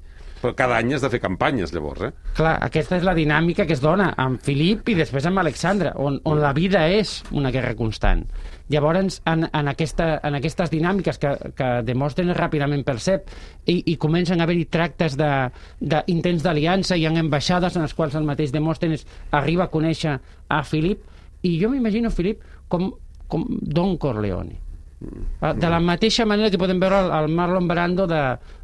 Però cada any has de fer campanyes, llavors, eh? Clar, aquesta és la dinàmica que es dona amb Filip i després amb Alexandre, on, on la vida és una guerra constant. Llavors, en, en, aquesta, en aquestes dinàmiques que, que Demòstenes ràpidament percep i, i comencen a haver-hi tractes d'intents d'aliança, hi ha ambaixades en les quals el mateix Demòstenes arriba a conèixer a Filip, i jo m'imagino Filip com, com Don Corleone. De la mateixa manera que podem veure el, el Marlon Brando de,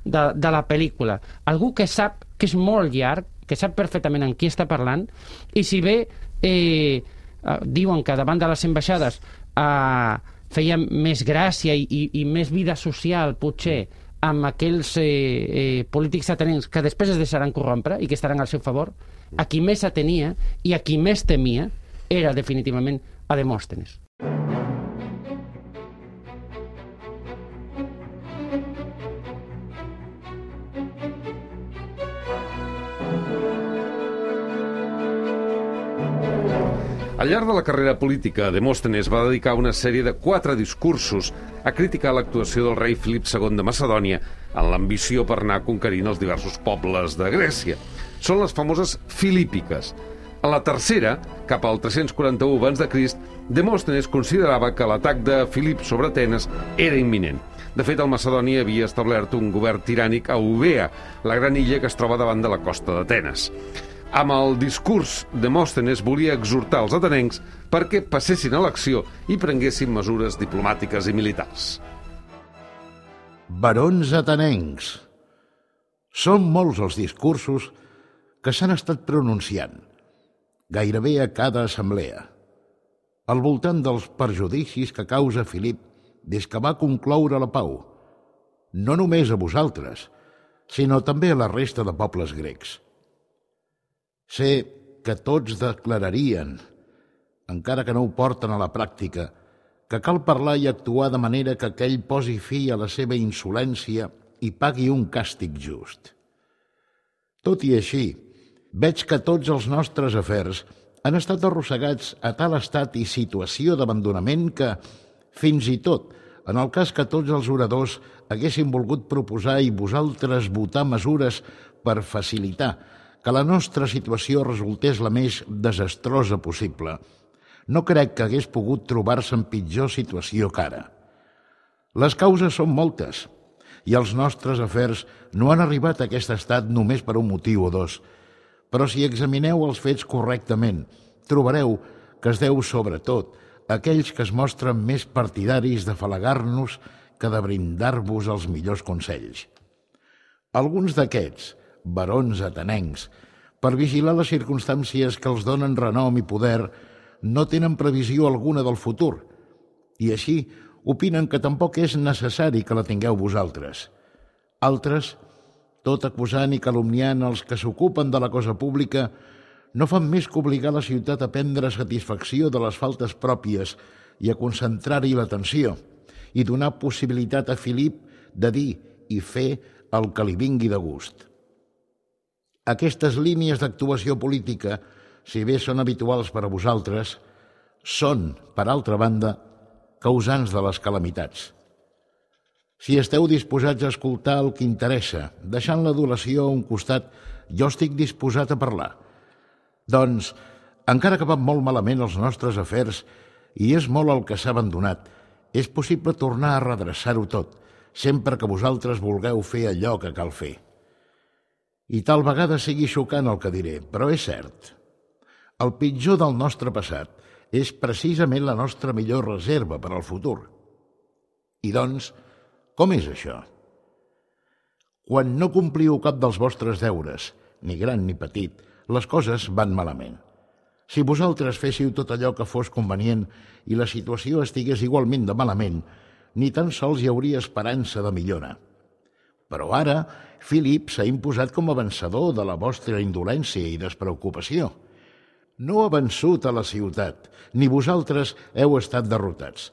de, de la pel·lícula. Algú que sap que és molt llarg, que sap perfectament en qui està parlant, i si bé eh, eh, diuen que davant de les ambaixades eh, feia més gràcia i, i, i més vida social, potser, amb aquells eh, eh, polítics atenents que després es deixaran corrompre i que estaran al seu favor, a qui més atenia i a qui més temia era definitivament a Demòstenes. Al llarg de la carrera política, Demòstenes va dedicar una sèrie de quatre discursos a criticar l'actuació del rei Filip segon de Macedònia en l'ambició per anar conquerint els diversos pobles de Grècia. Són les famoses filípiques. A la tercera, cap al tres-cents quaranta-u abans de Crist, Demòstenes considerava que l'atac de Filip sobre Atenes era imminent. De fet, el Macedònia havia establert un govern tirànic a Eubea, la gran illa que es troba davant de la costa d'Atenes. Amb el discurs, Demòstenes volia exhortar els atenencs perquè passessin a l'acció i prenguessin mesures diplomàtiques i militars. Barons atenencs. Són molts els discursos que s'han estat pronunciant, gairebé a cada assemblea, al voltant dels perjudicis que causa Filip des que va concloure la pau, no només a vosaltres, sinó també a la resta de pobles grecs. Sé que tots declararien, encara que no ho porten a la pràctica, que cal parlar i actuar de manera que aquell posi fi a la seva insolència i pagui un càstig just. Tot i així, veig que tots els nostres afers han estat arrossegats a tal estat i situació d'abandonament que, fins i tot, en el cas que tots els oradors haguessin volgut proposar i vosaltres votar mesures per facilitar que la nostra situació resultés la més desastrosa possible, no crec que hagués pogut trobar-se en pitjor situació que ara. Les causes són moltes, i els nostres afers no han arribat a aquest estat només per un motiu o dos, però si examineu els fets correctament, trobareu que es deu sobretot a aquells que es mostren més partidaris de falagar-nos que de brindar-vos els millors consells. Alguns d'aquests, barons atenencs, per vigilar les circumstàncies que els donen renom i poder, no tenen previsió alguna del futur, i així opinen que tampoc és necessari que la tingueu vosaltres. Altres, tot acusant i calumniant els que s'ocupen de la cosa pública, no fan més que obligar la ciutat a prendre satisfacció de les faltes pròpies i a concentrar-hi l'atenció, i donar possibilitat a Filip de dir i fer el que li vingui de gust. Aquestes línies d'actuació política, si bé són habituals per a vosaltres, són, per altra banda, causants de les calamitats. Si esteu disposats a escoltar el que interessa, deixant l'adulació a un costat, jo estic disposat a parlar. Doncs, encara que van molt malament els nostres afers i és molt el que s'ha abandonat, és possible tornar a redreçar-ho tot, sempre que vosaltres vulgueu fer allò que cal fer. I tal vegada sigui xocant el que diré, però és cert. El pitjor del nostre passat és precisament la nostra millor reserva per al futur. I doncs, com és això? Quan no compliu cap dels vostres deures, ni gran ni petit, les coses van malament. Si vosaltres féssiu tot allò que fos convenient i la situació estigués igualment de malament, ni tan sols hi hauria esperança de millora. Però ara, Filip s'ha imposat com a vencedor de la vostra indolència i despreocupació. No ha vençut a la ciutat, ni vosaltres heu estat derrotats,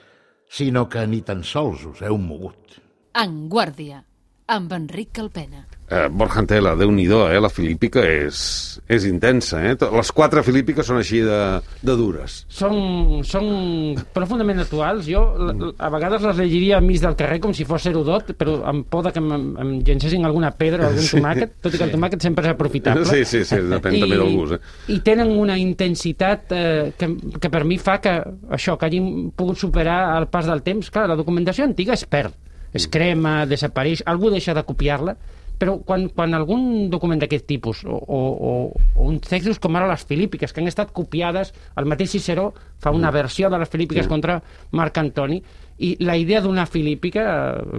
sinó que ni tan sols us heu mogut. En guàrdia. amb Enric Calpena. Eh, Borja Antela, Déu-n'hi-do, eh? La filípica és, és intensa, eh? Les quatre filípiques són així de, de dures. Són, són profundament actuals. Jo a vegades les llegiria enmig del carrer com si fos Herodot, però amb por de que em, em llencessin alguna pedra o algun tomàquet, tot i que el tomàquet sempre és aprofitable. Sí, sí, sí, depèn I, també del gust. Eh? I tenen una intensitat eh, que, que per mi fa que això, que hagin pogut superar el pas del temps. Clar, la documentació antiga es perd, es crema, desapareix, algú deixa de copiar-la, però quan, quan algun document d'aquest tipus o, o, o, o uns textos com ara les filípiques, que han estat copiades, el mateix Ciceró fa una versió de les filípiques sí. contra Marc Antoni, i la idea d'una filípica,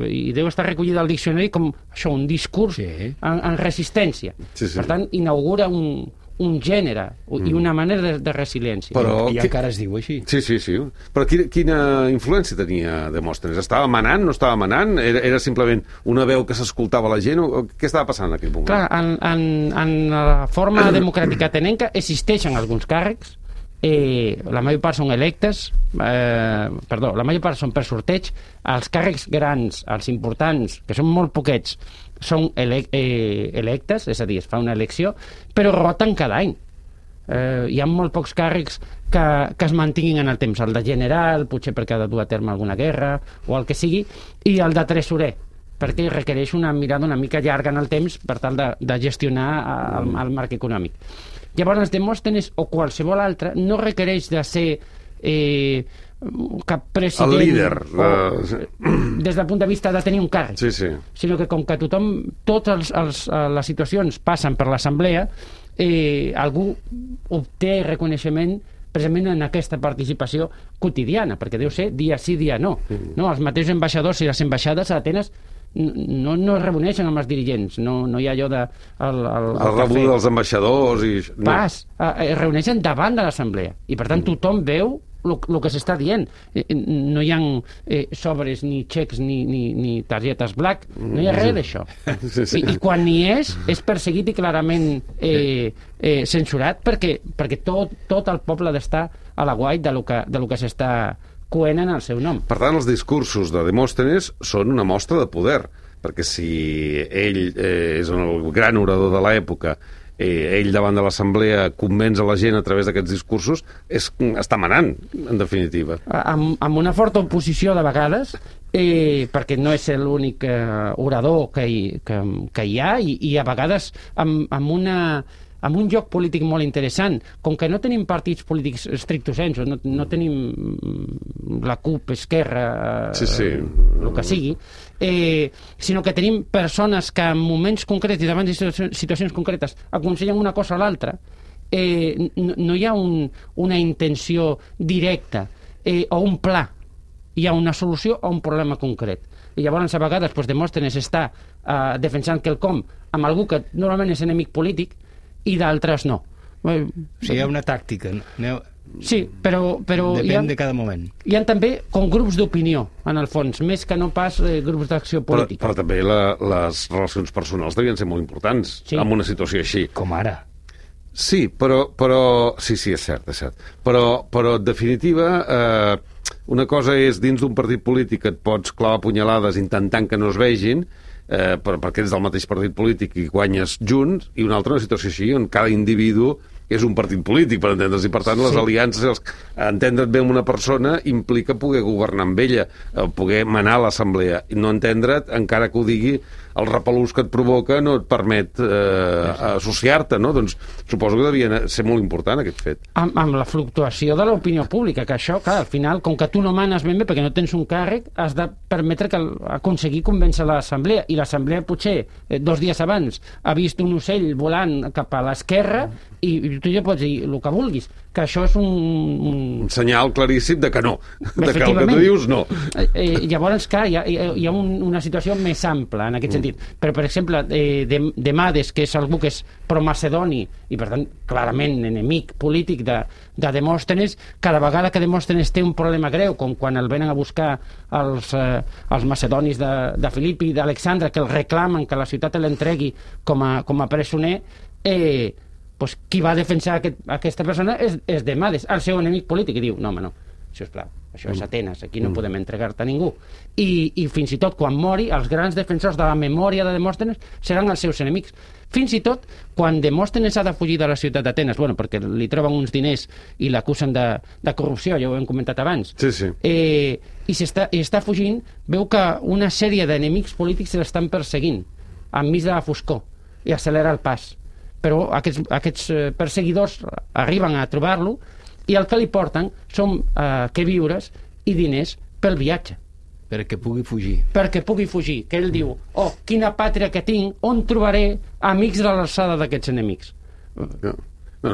eh, i deu estar recollida al diccionari com això, un discurs sí. en, en resistència. Sí, sí. Per tant, inaugura un, un gènere mm. i una manera de, de resiliència. Però, I encara es diu així. Sí, sí, sí. Però quina, quina influència tenia Demòstenes? Estava manant, no estava manant? Era, era simplement una veu que s'escoltava la gent? O, què estava passant en aquell moment? Clar, en, en, en la forma democràtica atenenca existeixen alguns càrrecs, eh, la major part són electes, eh, perdó, la major part són per sorteig, els càrrecs grans, els importants, que són molt poquets, són ele eh, electes, és a dir, es fa una elecció, però roten cada any. Eh, hi ha molt pocs càrrecs que, que es mantinguin en el temps. El de general, potser perquè ha de dur a terme alguna guerra, o el que sigui, i el de tresorer, perquè requereix una mirada una mica llarga en el temps per tal de, de gestionar el, el marc econòmic. Llavors, Demòstenes o qualsevol altre no requereix de ser eh, cap president... El líder. O, uh... des del punt de vista de tenir un càrrec. Sí, sí. Sinó que com que tothom, totes els, les situacions passen per l'assemblea, eh, algú obté reconeixement precisament en aquesta participació quotidiana, perquè deu ser dia sí, dia no. Mm. No, els mateixos ambaixadors i les ambaixades a Atenes no, no es reuneixen amb els dirigents, no, no hi ha allò de... El, el, el, el rebuda dels ambaixadors i... No. Pas, eh, es reuneixen davant de l'assemblea i per tant tothom veu el que s'està dient. No hi ha eh, sobres, ni xecs, ni, ni, ni targetes black, no hi ha res d'això. Sí, sí. I, I quan n'hi és, és perseguit i clarament eh, eh, censurat perquè, perquè tot, tot el poble ha d'estar a la guai de lo que, de lo que s'està coent en el seu nom. Per tant, els discursos de Demòstenes són una mostra de poder, perquè si ell eh, és el gran orador de l'època, eh, ell davant de l'assemblea convenç a la gent a través d'aquests discursos, és, està manant, en definitiva. Amb, amb una forta oposició de vegades, eh, perquè no és l'únic eh, orador que hi, que, que hi ha, i, i a vegades amb, amb una... amb un joc polític molt interessant, com que no tenim partits polítics stricto sensu, no, no tenim la CUP, Esquerra, sí, sí. el que sigui, eh, sinó que tenim persones que en moments concrets i davant de situacions concretes aconsellen una cosa a l'altra, eh, no, no hi ha un, una intenció directa eh, o un pla, hi ha una solució a un problema concret. I llavors a vegades doncs, Demòstenes està eh, defensant quelcom amb algú que normalment és enemic polític i d'altres no. O sigui, hi ha una tàctica. No? Sí, però... però Depèn ha, de cada moment. Hi ha també com grups d'opinió, en el fons, més que no pas eh, grups d'acció política. Però, però també la, les relacions personals devien ser molt importants sí. en una situació així. Com ara. Sí, però... però sí, sí, és cert, és cert. Però, però en definitiva, eh, una cosa és dins d'un partit polític que et pots clavar punyalades intentant que no es vegin, Eh, per, perquè ets del mateix partit polític i guanyes junts, i una altra una situació així on cada individu és un partit polític, per entendre's, i per tant les sí. aliances, els, entendre't bé amb una persona implica poder governar amb ella, poder manar a l'assemblea, i no entendre't, encara que ho digui, el repelús que et provoca no et permet eh, associar-te, no? Doncs suposo que devia ser molt important aquest fet. Amb, amb la fluctuació de l'opinió pública, que això, clar, al final, com que tu no manes ben bé perquè no tens un càrrec, has de permetre que aconseguir convèncer l'assemblea, i l'assemblea potser eh, dos dies abans ha vist un ocell volant cap a l'esquerra i, i tu ja pots dir el que vulguis, que això és un... Un, un senyal claríssim de que no, de que el que tu dius no. Eh, eh, llavors, clar, hi ha, hi ha un, una situació més ampla en aquest mm. sentit. Però, per exemple, eh, de, Demades, que és algú que és pro-macedoni i, per tant, clarament enemic polític de, de Demòstenes, cada vegada que Demòstenes té un problema greu, com quan el venen a buscar els, eh, els macedonis de, de Filipi i d'Alexandre, que el reclamen que la ciutat l'entregui com a, com a presoner, eh, pues, qui va defensar aquest, aquesta persona és, és Demades, el seu enemic polític, i diu, no, home, no, sisplau, Això és Atenes, aquí no podem entregar-te a ningú. I, I fins i tot, quan mori, els grans defensors de la memòria de Demòstenes seran els seus enemics. Fins i tot, quan Demòstenes ha de fugir de la ciutat d'Atenes, bueno, perquè li troben uns diners i l'acusen de, de corrupció, ja ho hem comentat abans, sí, sí. Eh, i, està, i està fugint, veu que una sèrie d'enemics polítics se l'estan perseguint, enmig de la foscor, i accelera el pas. Però aquests, aquests perseguidors arriben a trobar-lo i el que li porten són eh, queviures i diners pel viatge. Perquè pugui fugir. Perquè pugui fugir, que ell diu, oh, quina pàtria que tinc, on trobaré amics de l'alçada d'aquests enemics. No, no,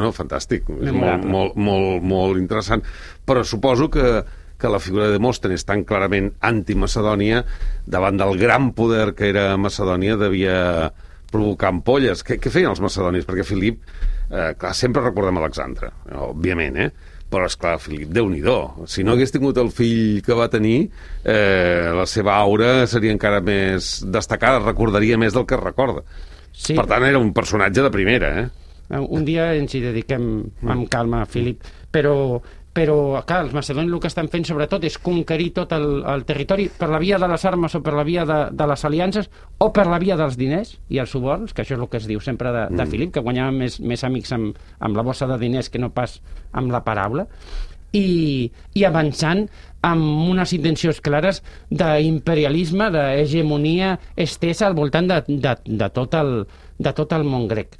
no fantàstic, és molt, molt, molt, molt interessant, però suposo que, que la figura de Demòstenes, tan clarament anti-Macedònia, davant del gran poder que era Macedònia, devia provocar ampolles. Què, què feien els macedonis? Perquè Filip, eh, clar, sempre recordem Alexandre, òbviament, eh? Però, esclar, Filip, Déu-n'hi-do. Si no hagués tingut el fill que va tenir, eh, la seva aura seria encara més destacada, recordaria més del que recorda. Sí. Per tant, era un personatge de primera, eh? Un dia ens hi dediquem amb calma, Filip, però, però clar, els macedonis el que estan fent sobretot és conquerir tot el, el territori per la via de les armes o per la via de, de les aliances o per la via dels diners i els suborns, que això és el que es diu sempre de, de Filip, que guanyava més, més amics amb, amb la bossa de diners que no pas amb la paraula, i, i avançant amb unes intencions clares d'imperialisme, d'hegemonia estesa al voltant de, de, de, tot el, de tot el món grec.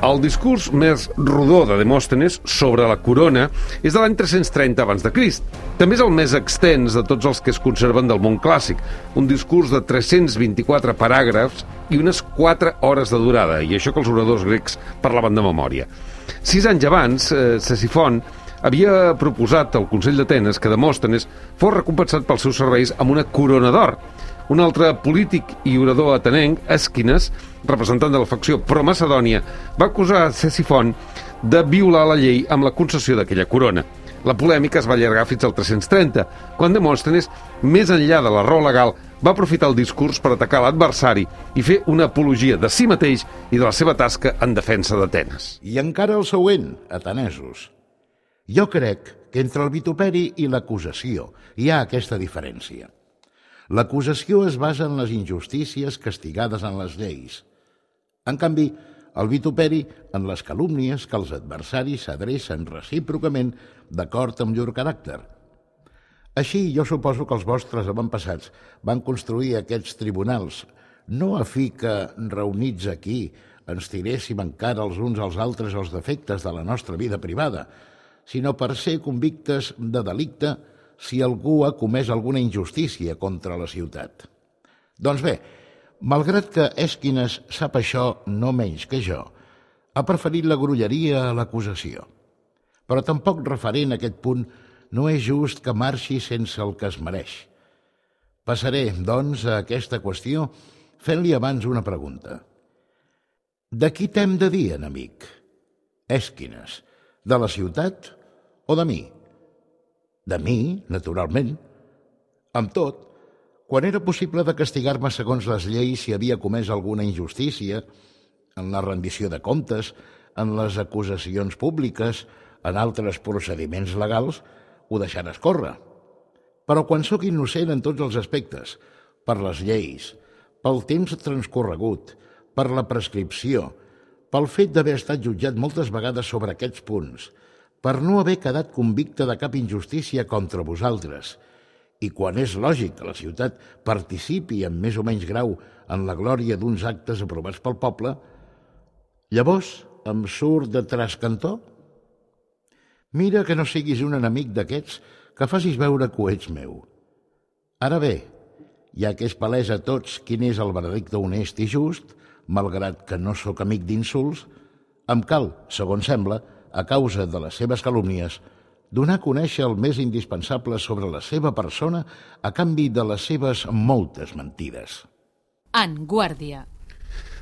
El discurs més rodó de Demòstenes sobre la corona és de l'any tres-cents trenta abans de Crist. També és el més extens de tots els que es conserven del món clàssic, un discurs de tres-cents vint-i-quatre paràgrafs i unes quatre hores de durada, i això que els oradors grecs parlaven de memòria. Sis anys abans, eh, Ctesifont havia proposat al Consell d'Atenes que Demòstenes fos recompensat pels seus serveis amb una corona d'or. Un altre polític i orador atenenc, Èsquines, representant de la facció pro-Macedònia, va acusar Ctesifont de violar la llei amb la concessió d'aquella corona. La polèmica es va allargar fins al tres-cents trenta, quan Demòstenes, més enllà de la raó legal, va aprofitar el discurs per atacar l'adversari i fer una apologia de si mateix i de la seva tasca en defensa d'Atenes. I encara el següent, atenesos. Jo crec que entre el vituperi i l'acusació hi ha aquesta diferència. L'acusació es basa en les injustícies castigades en les lleis. En canvi, el vituperi en les calúmnies que els adversaris s'adrecen recíprocament d'acord amb llur caràcter. Així, jo suposo que els vostres avantpassats van construir aquests tribunals, no a fi que, reunits aquí, ens tiréssim encara els uns als altres els defectes de la nostra vida privada, sinó per ser convictes de delicte si algú ha comès alguna injustícia contra la ciutat. Doncs bé, malgrat que Èsquines sap això no menys que jo, ha preferit la grolleria a l'acusació. Però tampoc referent a aquest punt no és just que marxi sense el que es mereix. Passaré, doncs, a aquesta qüestió fent-li abans una pregunta. De qui t'hem de dir, enemic? Èsquines, de la ciutat o de mi? De mi, naturalment. Amb tot, quan era possible de castigar-me segons les lleis si havia comès alguna injustícia, en la rendició de comptes, en les acusacions públiques, en altres procediments legals, ho deixaràs córrer. Però quan sóc innocent en tots els aspectes, per les lleis, pel temps transcorregut, per la prescripció, pel fet d'haver estat jutjat moltes vegades sobre aquests punts, per no haver quedat convicte de cap injustícia contra vosaltres, i quan és lògic que la ciutat participi en més o menys grau en la glòria d'uns actes aprovats pel poble, llavors em surt de trascantó? Mira que no siguis un enemic d'aquests que facis veure que ho ets meu. Ara bé, ja que és palès a tots quin és el veredicte honest i just, malgrat que no sóc amic d'insults, em cal, segons sembla, a causa de les seves calúmnies, donar a conèixer el més indispensable sobre la seva persona a canvi de les seves moltes mentides. En guàrdia.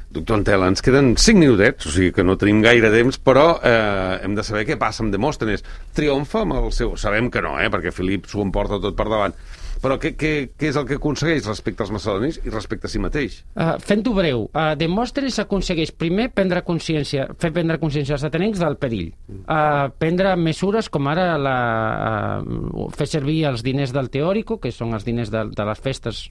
Doctor Antela, ens queden cinc minutets, o sigui que no tenim gaire temps, però eh, hem de saber què passa amb Demòstenes. Triomfa amb el seu... Sabem que no, eh, perquè Filip s'ho emporta tot per davant. Però què, què, què és el que aconsegueix respecte als macedonis i respecte a si mateix? Uh, Fent-ho breu, uh, Demòstenes aconsegueix primer prendre consciència, fer prendre consciència als atenencs del perill. Uh, prendre mesures com ara la, uh, fer servir els diners del teòrico, que són els diners de, de les festes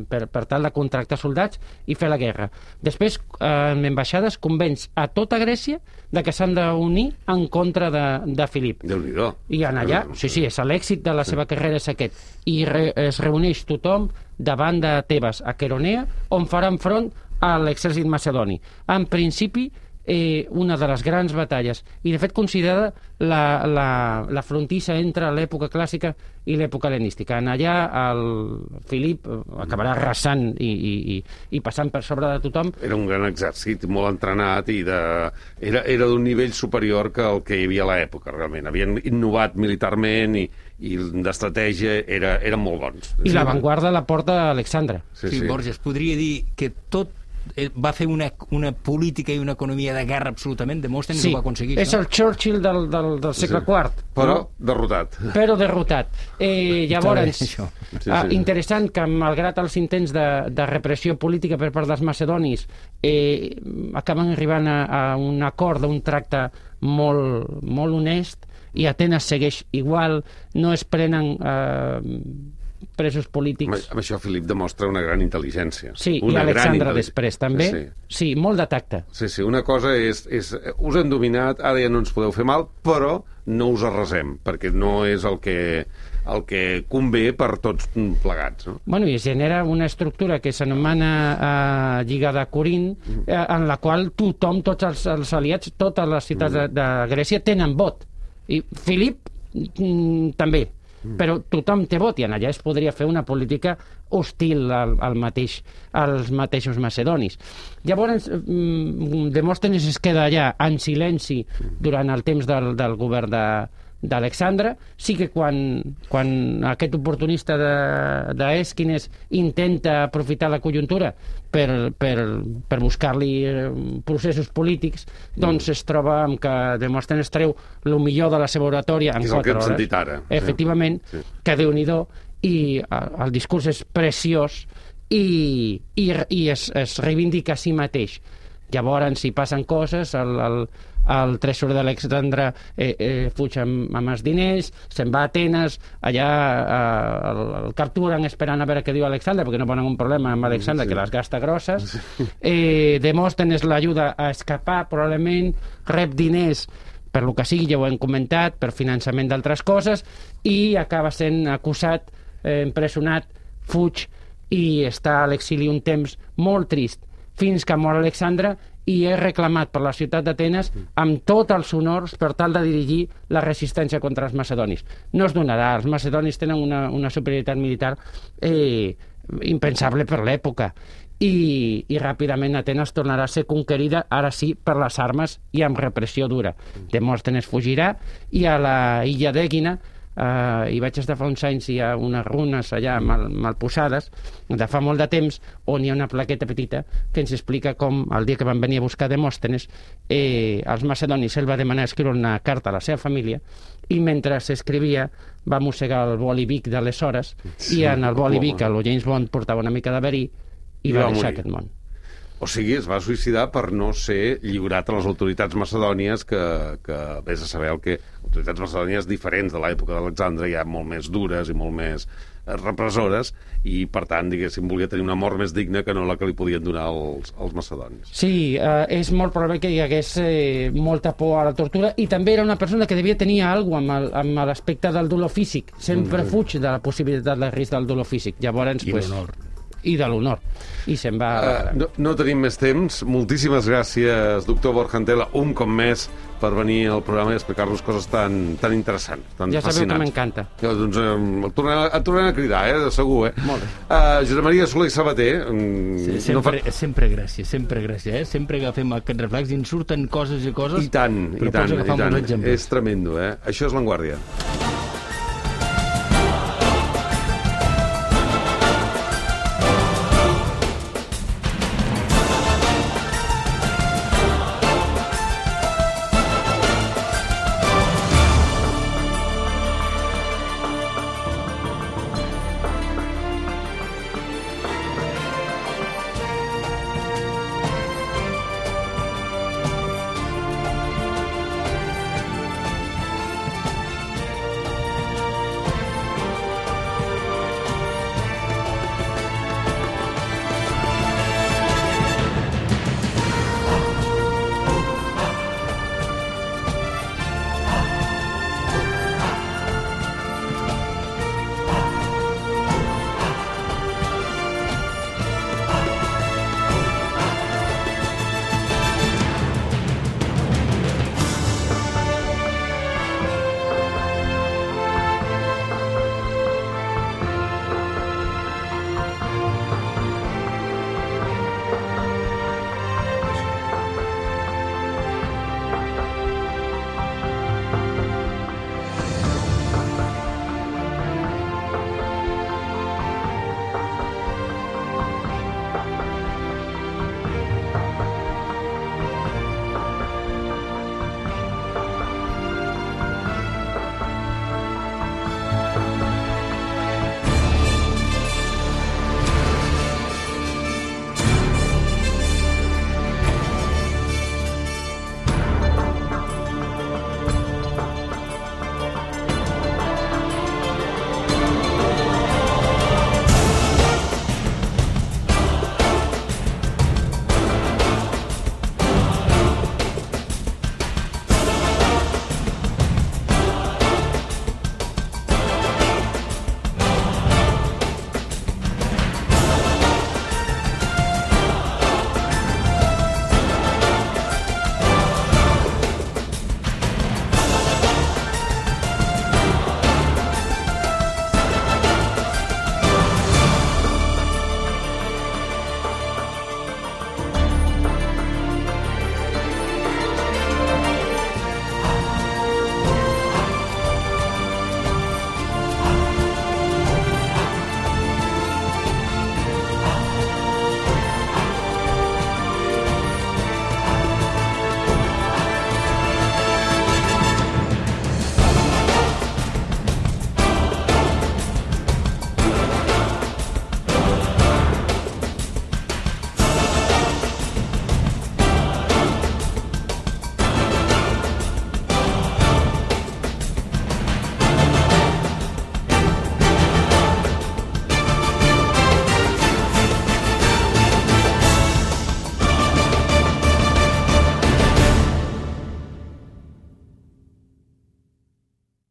per, per tal de contractar soldats i fer la guerra. Després, eh, en ambaixades, convenç a tota Grècia de que s'han d'unir en contra de, de Filip. Déu-n'hi-do. I en allà, sí, sí, és l'èxit de la seva carrera és aquest. I re, es reuneix tothom davant de Tebes, a Queronea, on faran front a l'exèrcit macedoni. En principi, eh, una de les grans batalles, i de fet considerada la, la, la frontissa entre l'època clàssica i l'època hel·lenística. En allà el Filip acabarà arrasant i, i, i, i passant per sobre de tothom. Era un gran exèrcit, molt entrenat, i de... era, era d'un nivell superior que el que hi havia a l'època, realment. Havien innovat militarment i, i d'estratègia era, eren molt bons. I l'avantguarda la porta Alexandre. Sí, sí, sí, Borges, podria dir que tot va fer una, una política i una economia de guerra absolutament, Demòstenes sí, ho va aconseguir. És no? el Churchill del, del, del segle sí. quart. Però no? derrotat. Però derrotat. Eh, llavors, sí, sí. Ah, interessant que malgrat els intents de, de repressió política per part dels macedonis, eh, acaben arribant a, a un acord d'un tracte molt, molt honest, i Atenes segueix igual, no es prenen eh, presos polítics. Amb això Filip demostra una gran intel·ligència. Sí, una i Alexandre gran després també. Sí, sí. sí, molt de tacte. Sí, sí, una cosa és, és... Us hem dominat, ara ja no ens podeu fer mal, però no us arrasem, perquè no és el que, el que convé per tots plegats. No? Bueno, i es genera una estructura que s'anomena eh, Lliga de Corint, eh, en la qual tothom, tots els, els aliats, totes les ciutats de, de Grècia tenen vot. I Filip mm, també. Però tothom té vot i en allà es podria fer una política hostil al, al mateix, als mateixos macedonis. Llavors, Demòstenes es queda allà en silenci durant el temps del, del govern de, d'Alexandre. Sí que quan, quan aquest oportunista d'Èsquines intenta aprofitar la conjuntura per, per, per buscar-li processos polítics, doncs es troba amb que Demòstenes treu el millor de la seva oratòria en quatre hores. És el que hem sentit ara. Efectivament, sí. Que Déu-n'hi-do, i el discurs és preciós i, i, i es, es reivindica a si mateix. Llavors, si passen coses, el, el, el tresorer d'Alexandre eh, eh, fuig amb, amb els diners, se'n va a Atenes, allà eh, el, el capturen esperant a veure què diu Alexandre, perquè no ponen un problema amb Alexandre, sí. Que les gasta grosses. Eh, Demòstenes l'ajuda a escapar, probablement, rep diners per lo que sigui, ja ho hem comentat, per finançament d'altres coses, i acaba sent acusat, eh, empresonat, fuig, i està a l'exili un temps molt trist, fins que mor Alexandre i és reclamat per la ciutat d'Atenes amb tots els honors per tal de dirigir la resistència contra els macedonis. No es donarà, els macedonis tenen una, una superioritat militar eh, impensable per l'època, i, i ràpidament Atenes tornarà a ser conquerida, ara sí, per les armes i amb repressió dura. Demòstenes fugirà i a la illa d'Ègina, Uh, hi vaig estar fa uns anys, hi ha unes runes allà mal, mal posades de fa molt de temps, on hi ha una plaqueta petita que ens explica com el dia que van venir a buscar Demòstenes, eh, els macedonis el va demanar escriure una carta a la seva família, i mentre s'escrivia va mossegar el boli Vic d'aleshores, sí, i en el boli Vic el James Bond portava una mica de verí i, I va, va deixar morir. Aquest món. O sigui, es va suïcidar per no ser lliurat a les autoritats macedònies, que, que vés a saber el que... Autoritats macedònies diferents de l'època d'Alexandre, ja molt més dures i molt més repressores, i per tant, diguéssim, volia tenir una mort més digna que no la que li podien donar els, els macedonis. Sí, eh, és molt probable que hi hagués eh, molta por a la tortura, i també era una persona que devia tenir alguna cosa amb l'aspecte del dolor físic. Sempre mm. fuig de la possibilitat del risc del dolor físic. Llavors, I pues, l'honor. I de l'honor. I se'n va... Uh, no, no tenim més temps. Moltíssimes gràcies, doctor Borja Antela, un cop més, per venir al programa i explicar-nos coses tan, tan interessants, tan ja fascinants. Ja sabeu que m'encanta. Ja, doncs et tornarem, et tornarem a cridar, eh, de segur, eh? Molt bé. Uh, Josep Maria Soler i Sabater... Sí, sempre, no fa... sempre gràcies, sempre gràcies, eh? Sempre agafem aquest reflex i ens surten coses i coses... I tant, i tant, i tant. És És tremendo, eh? Això és L'Enguàrdia.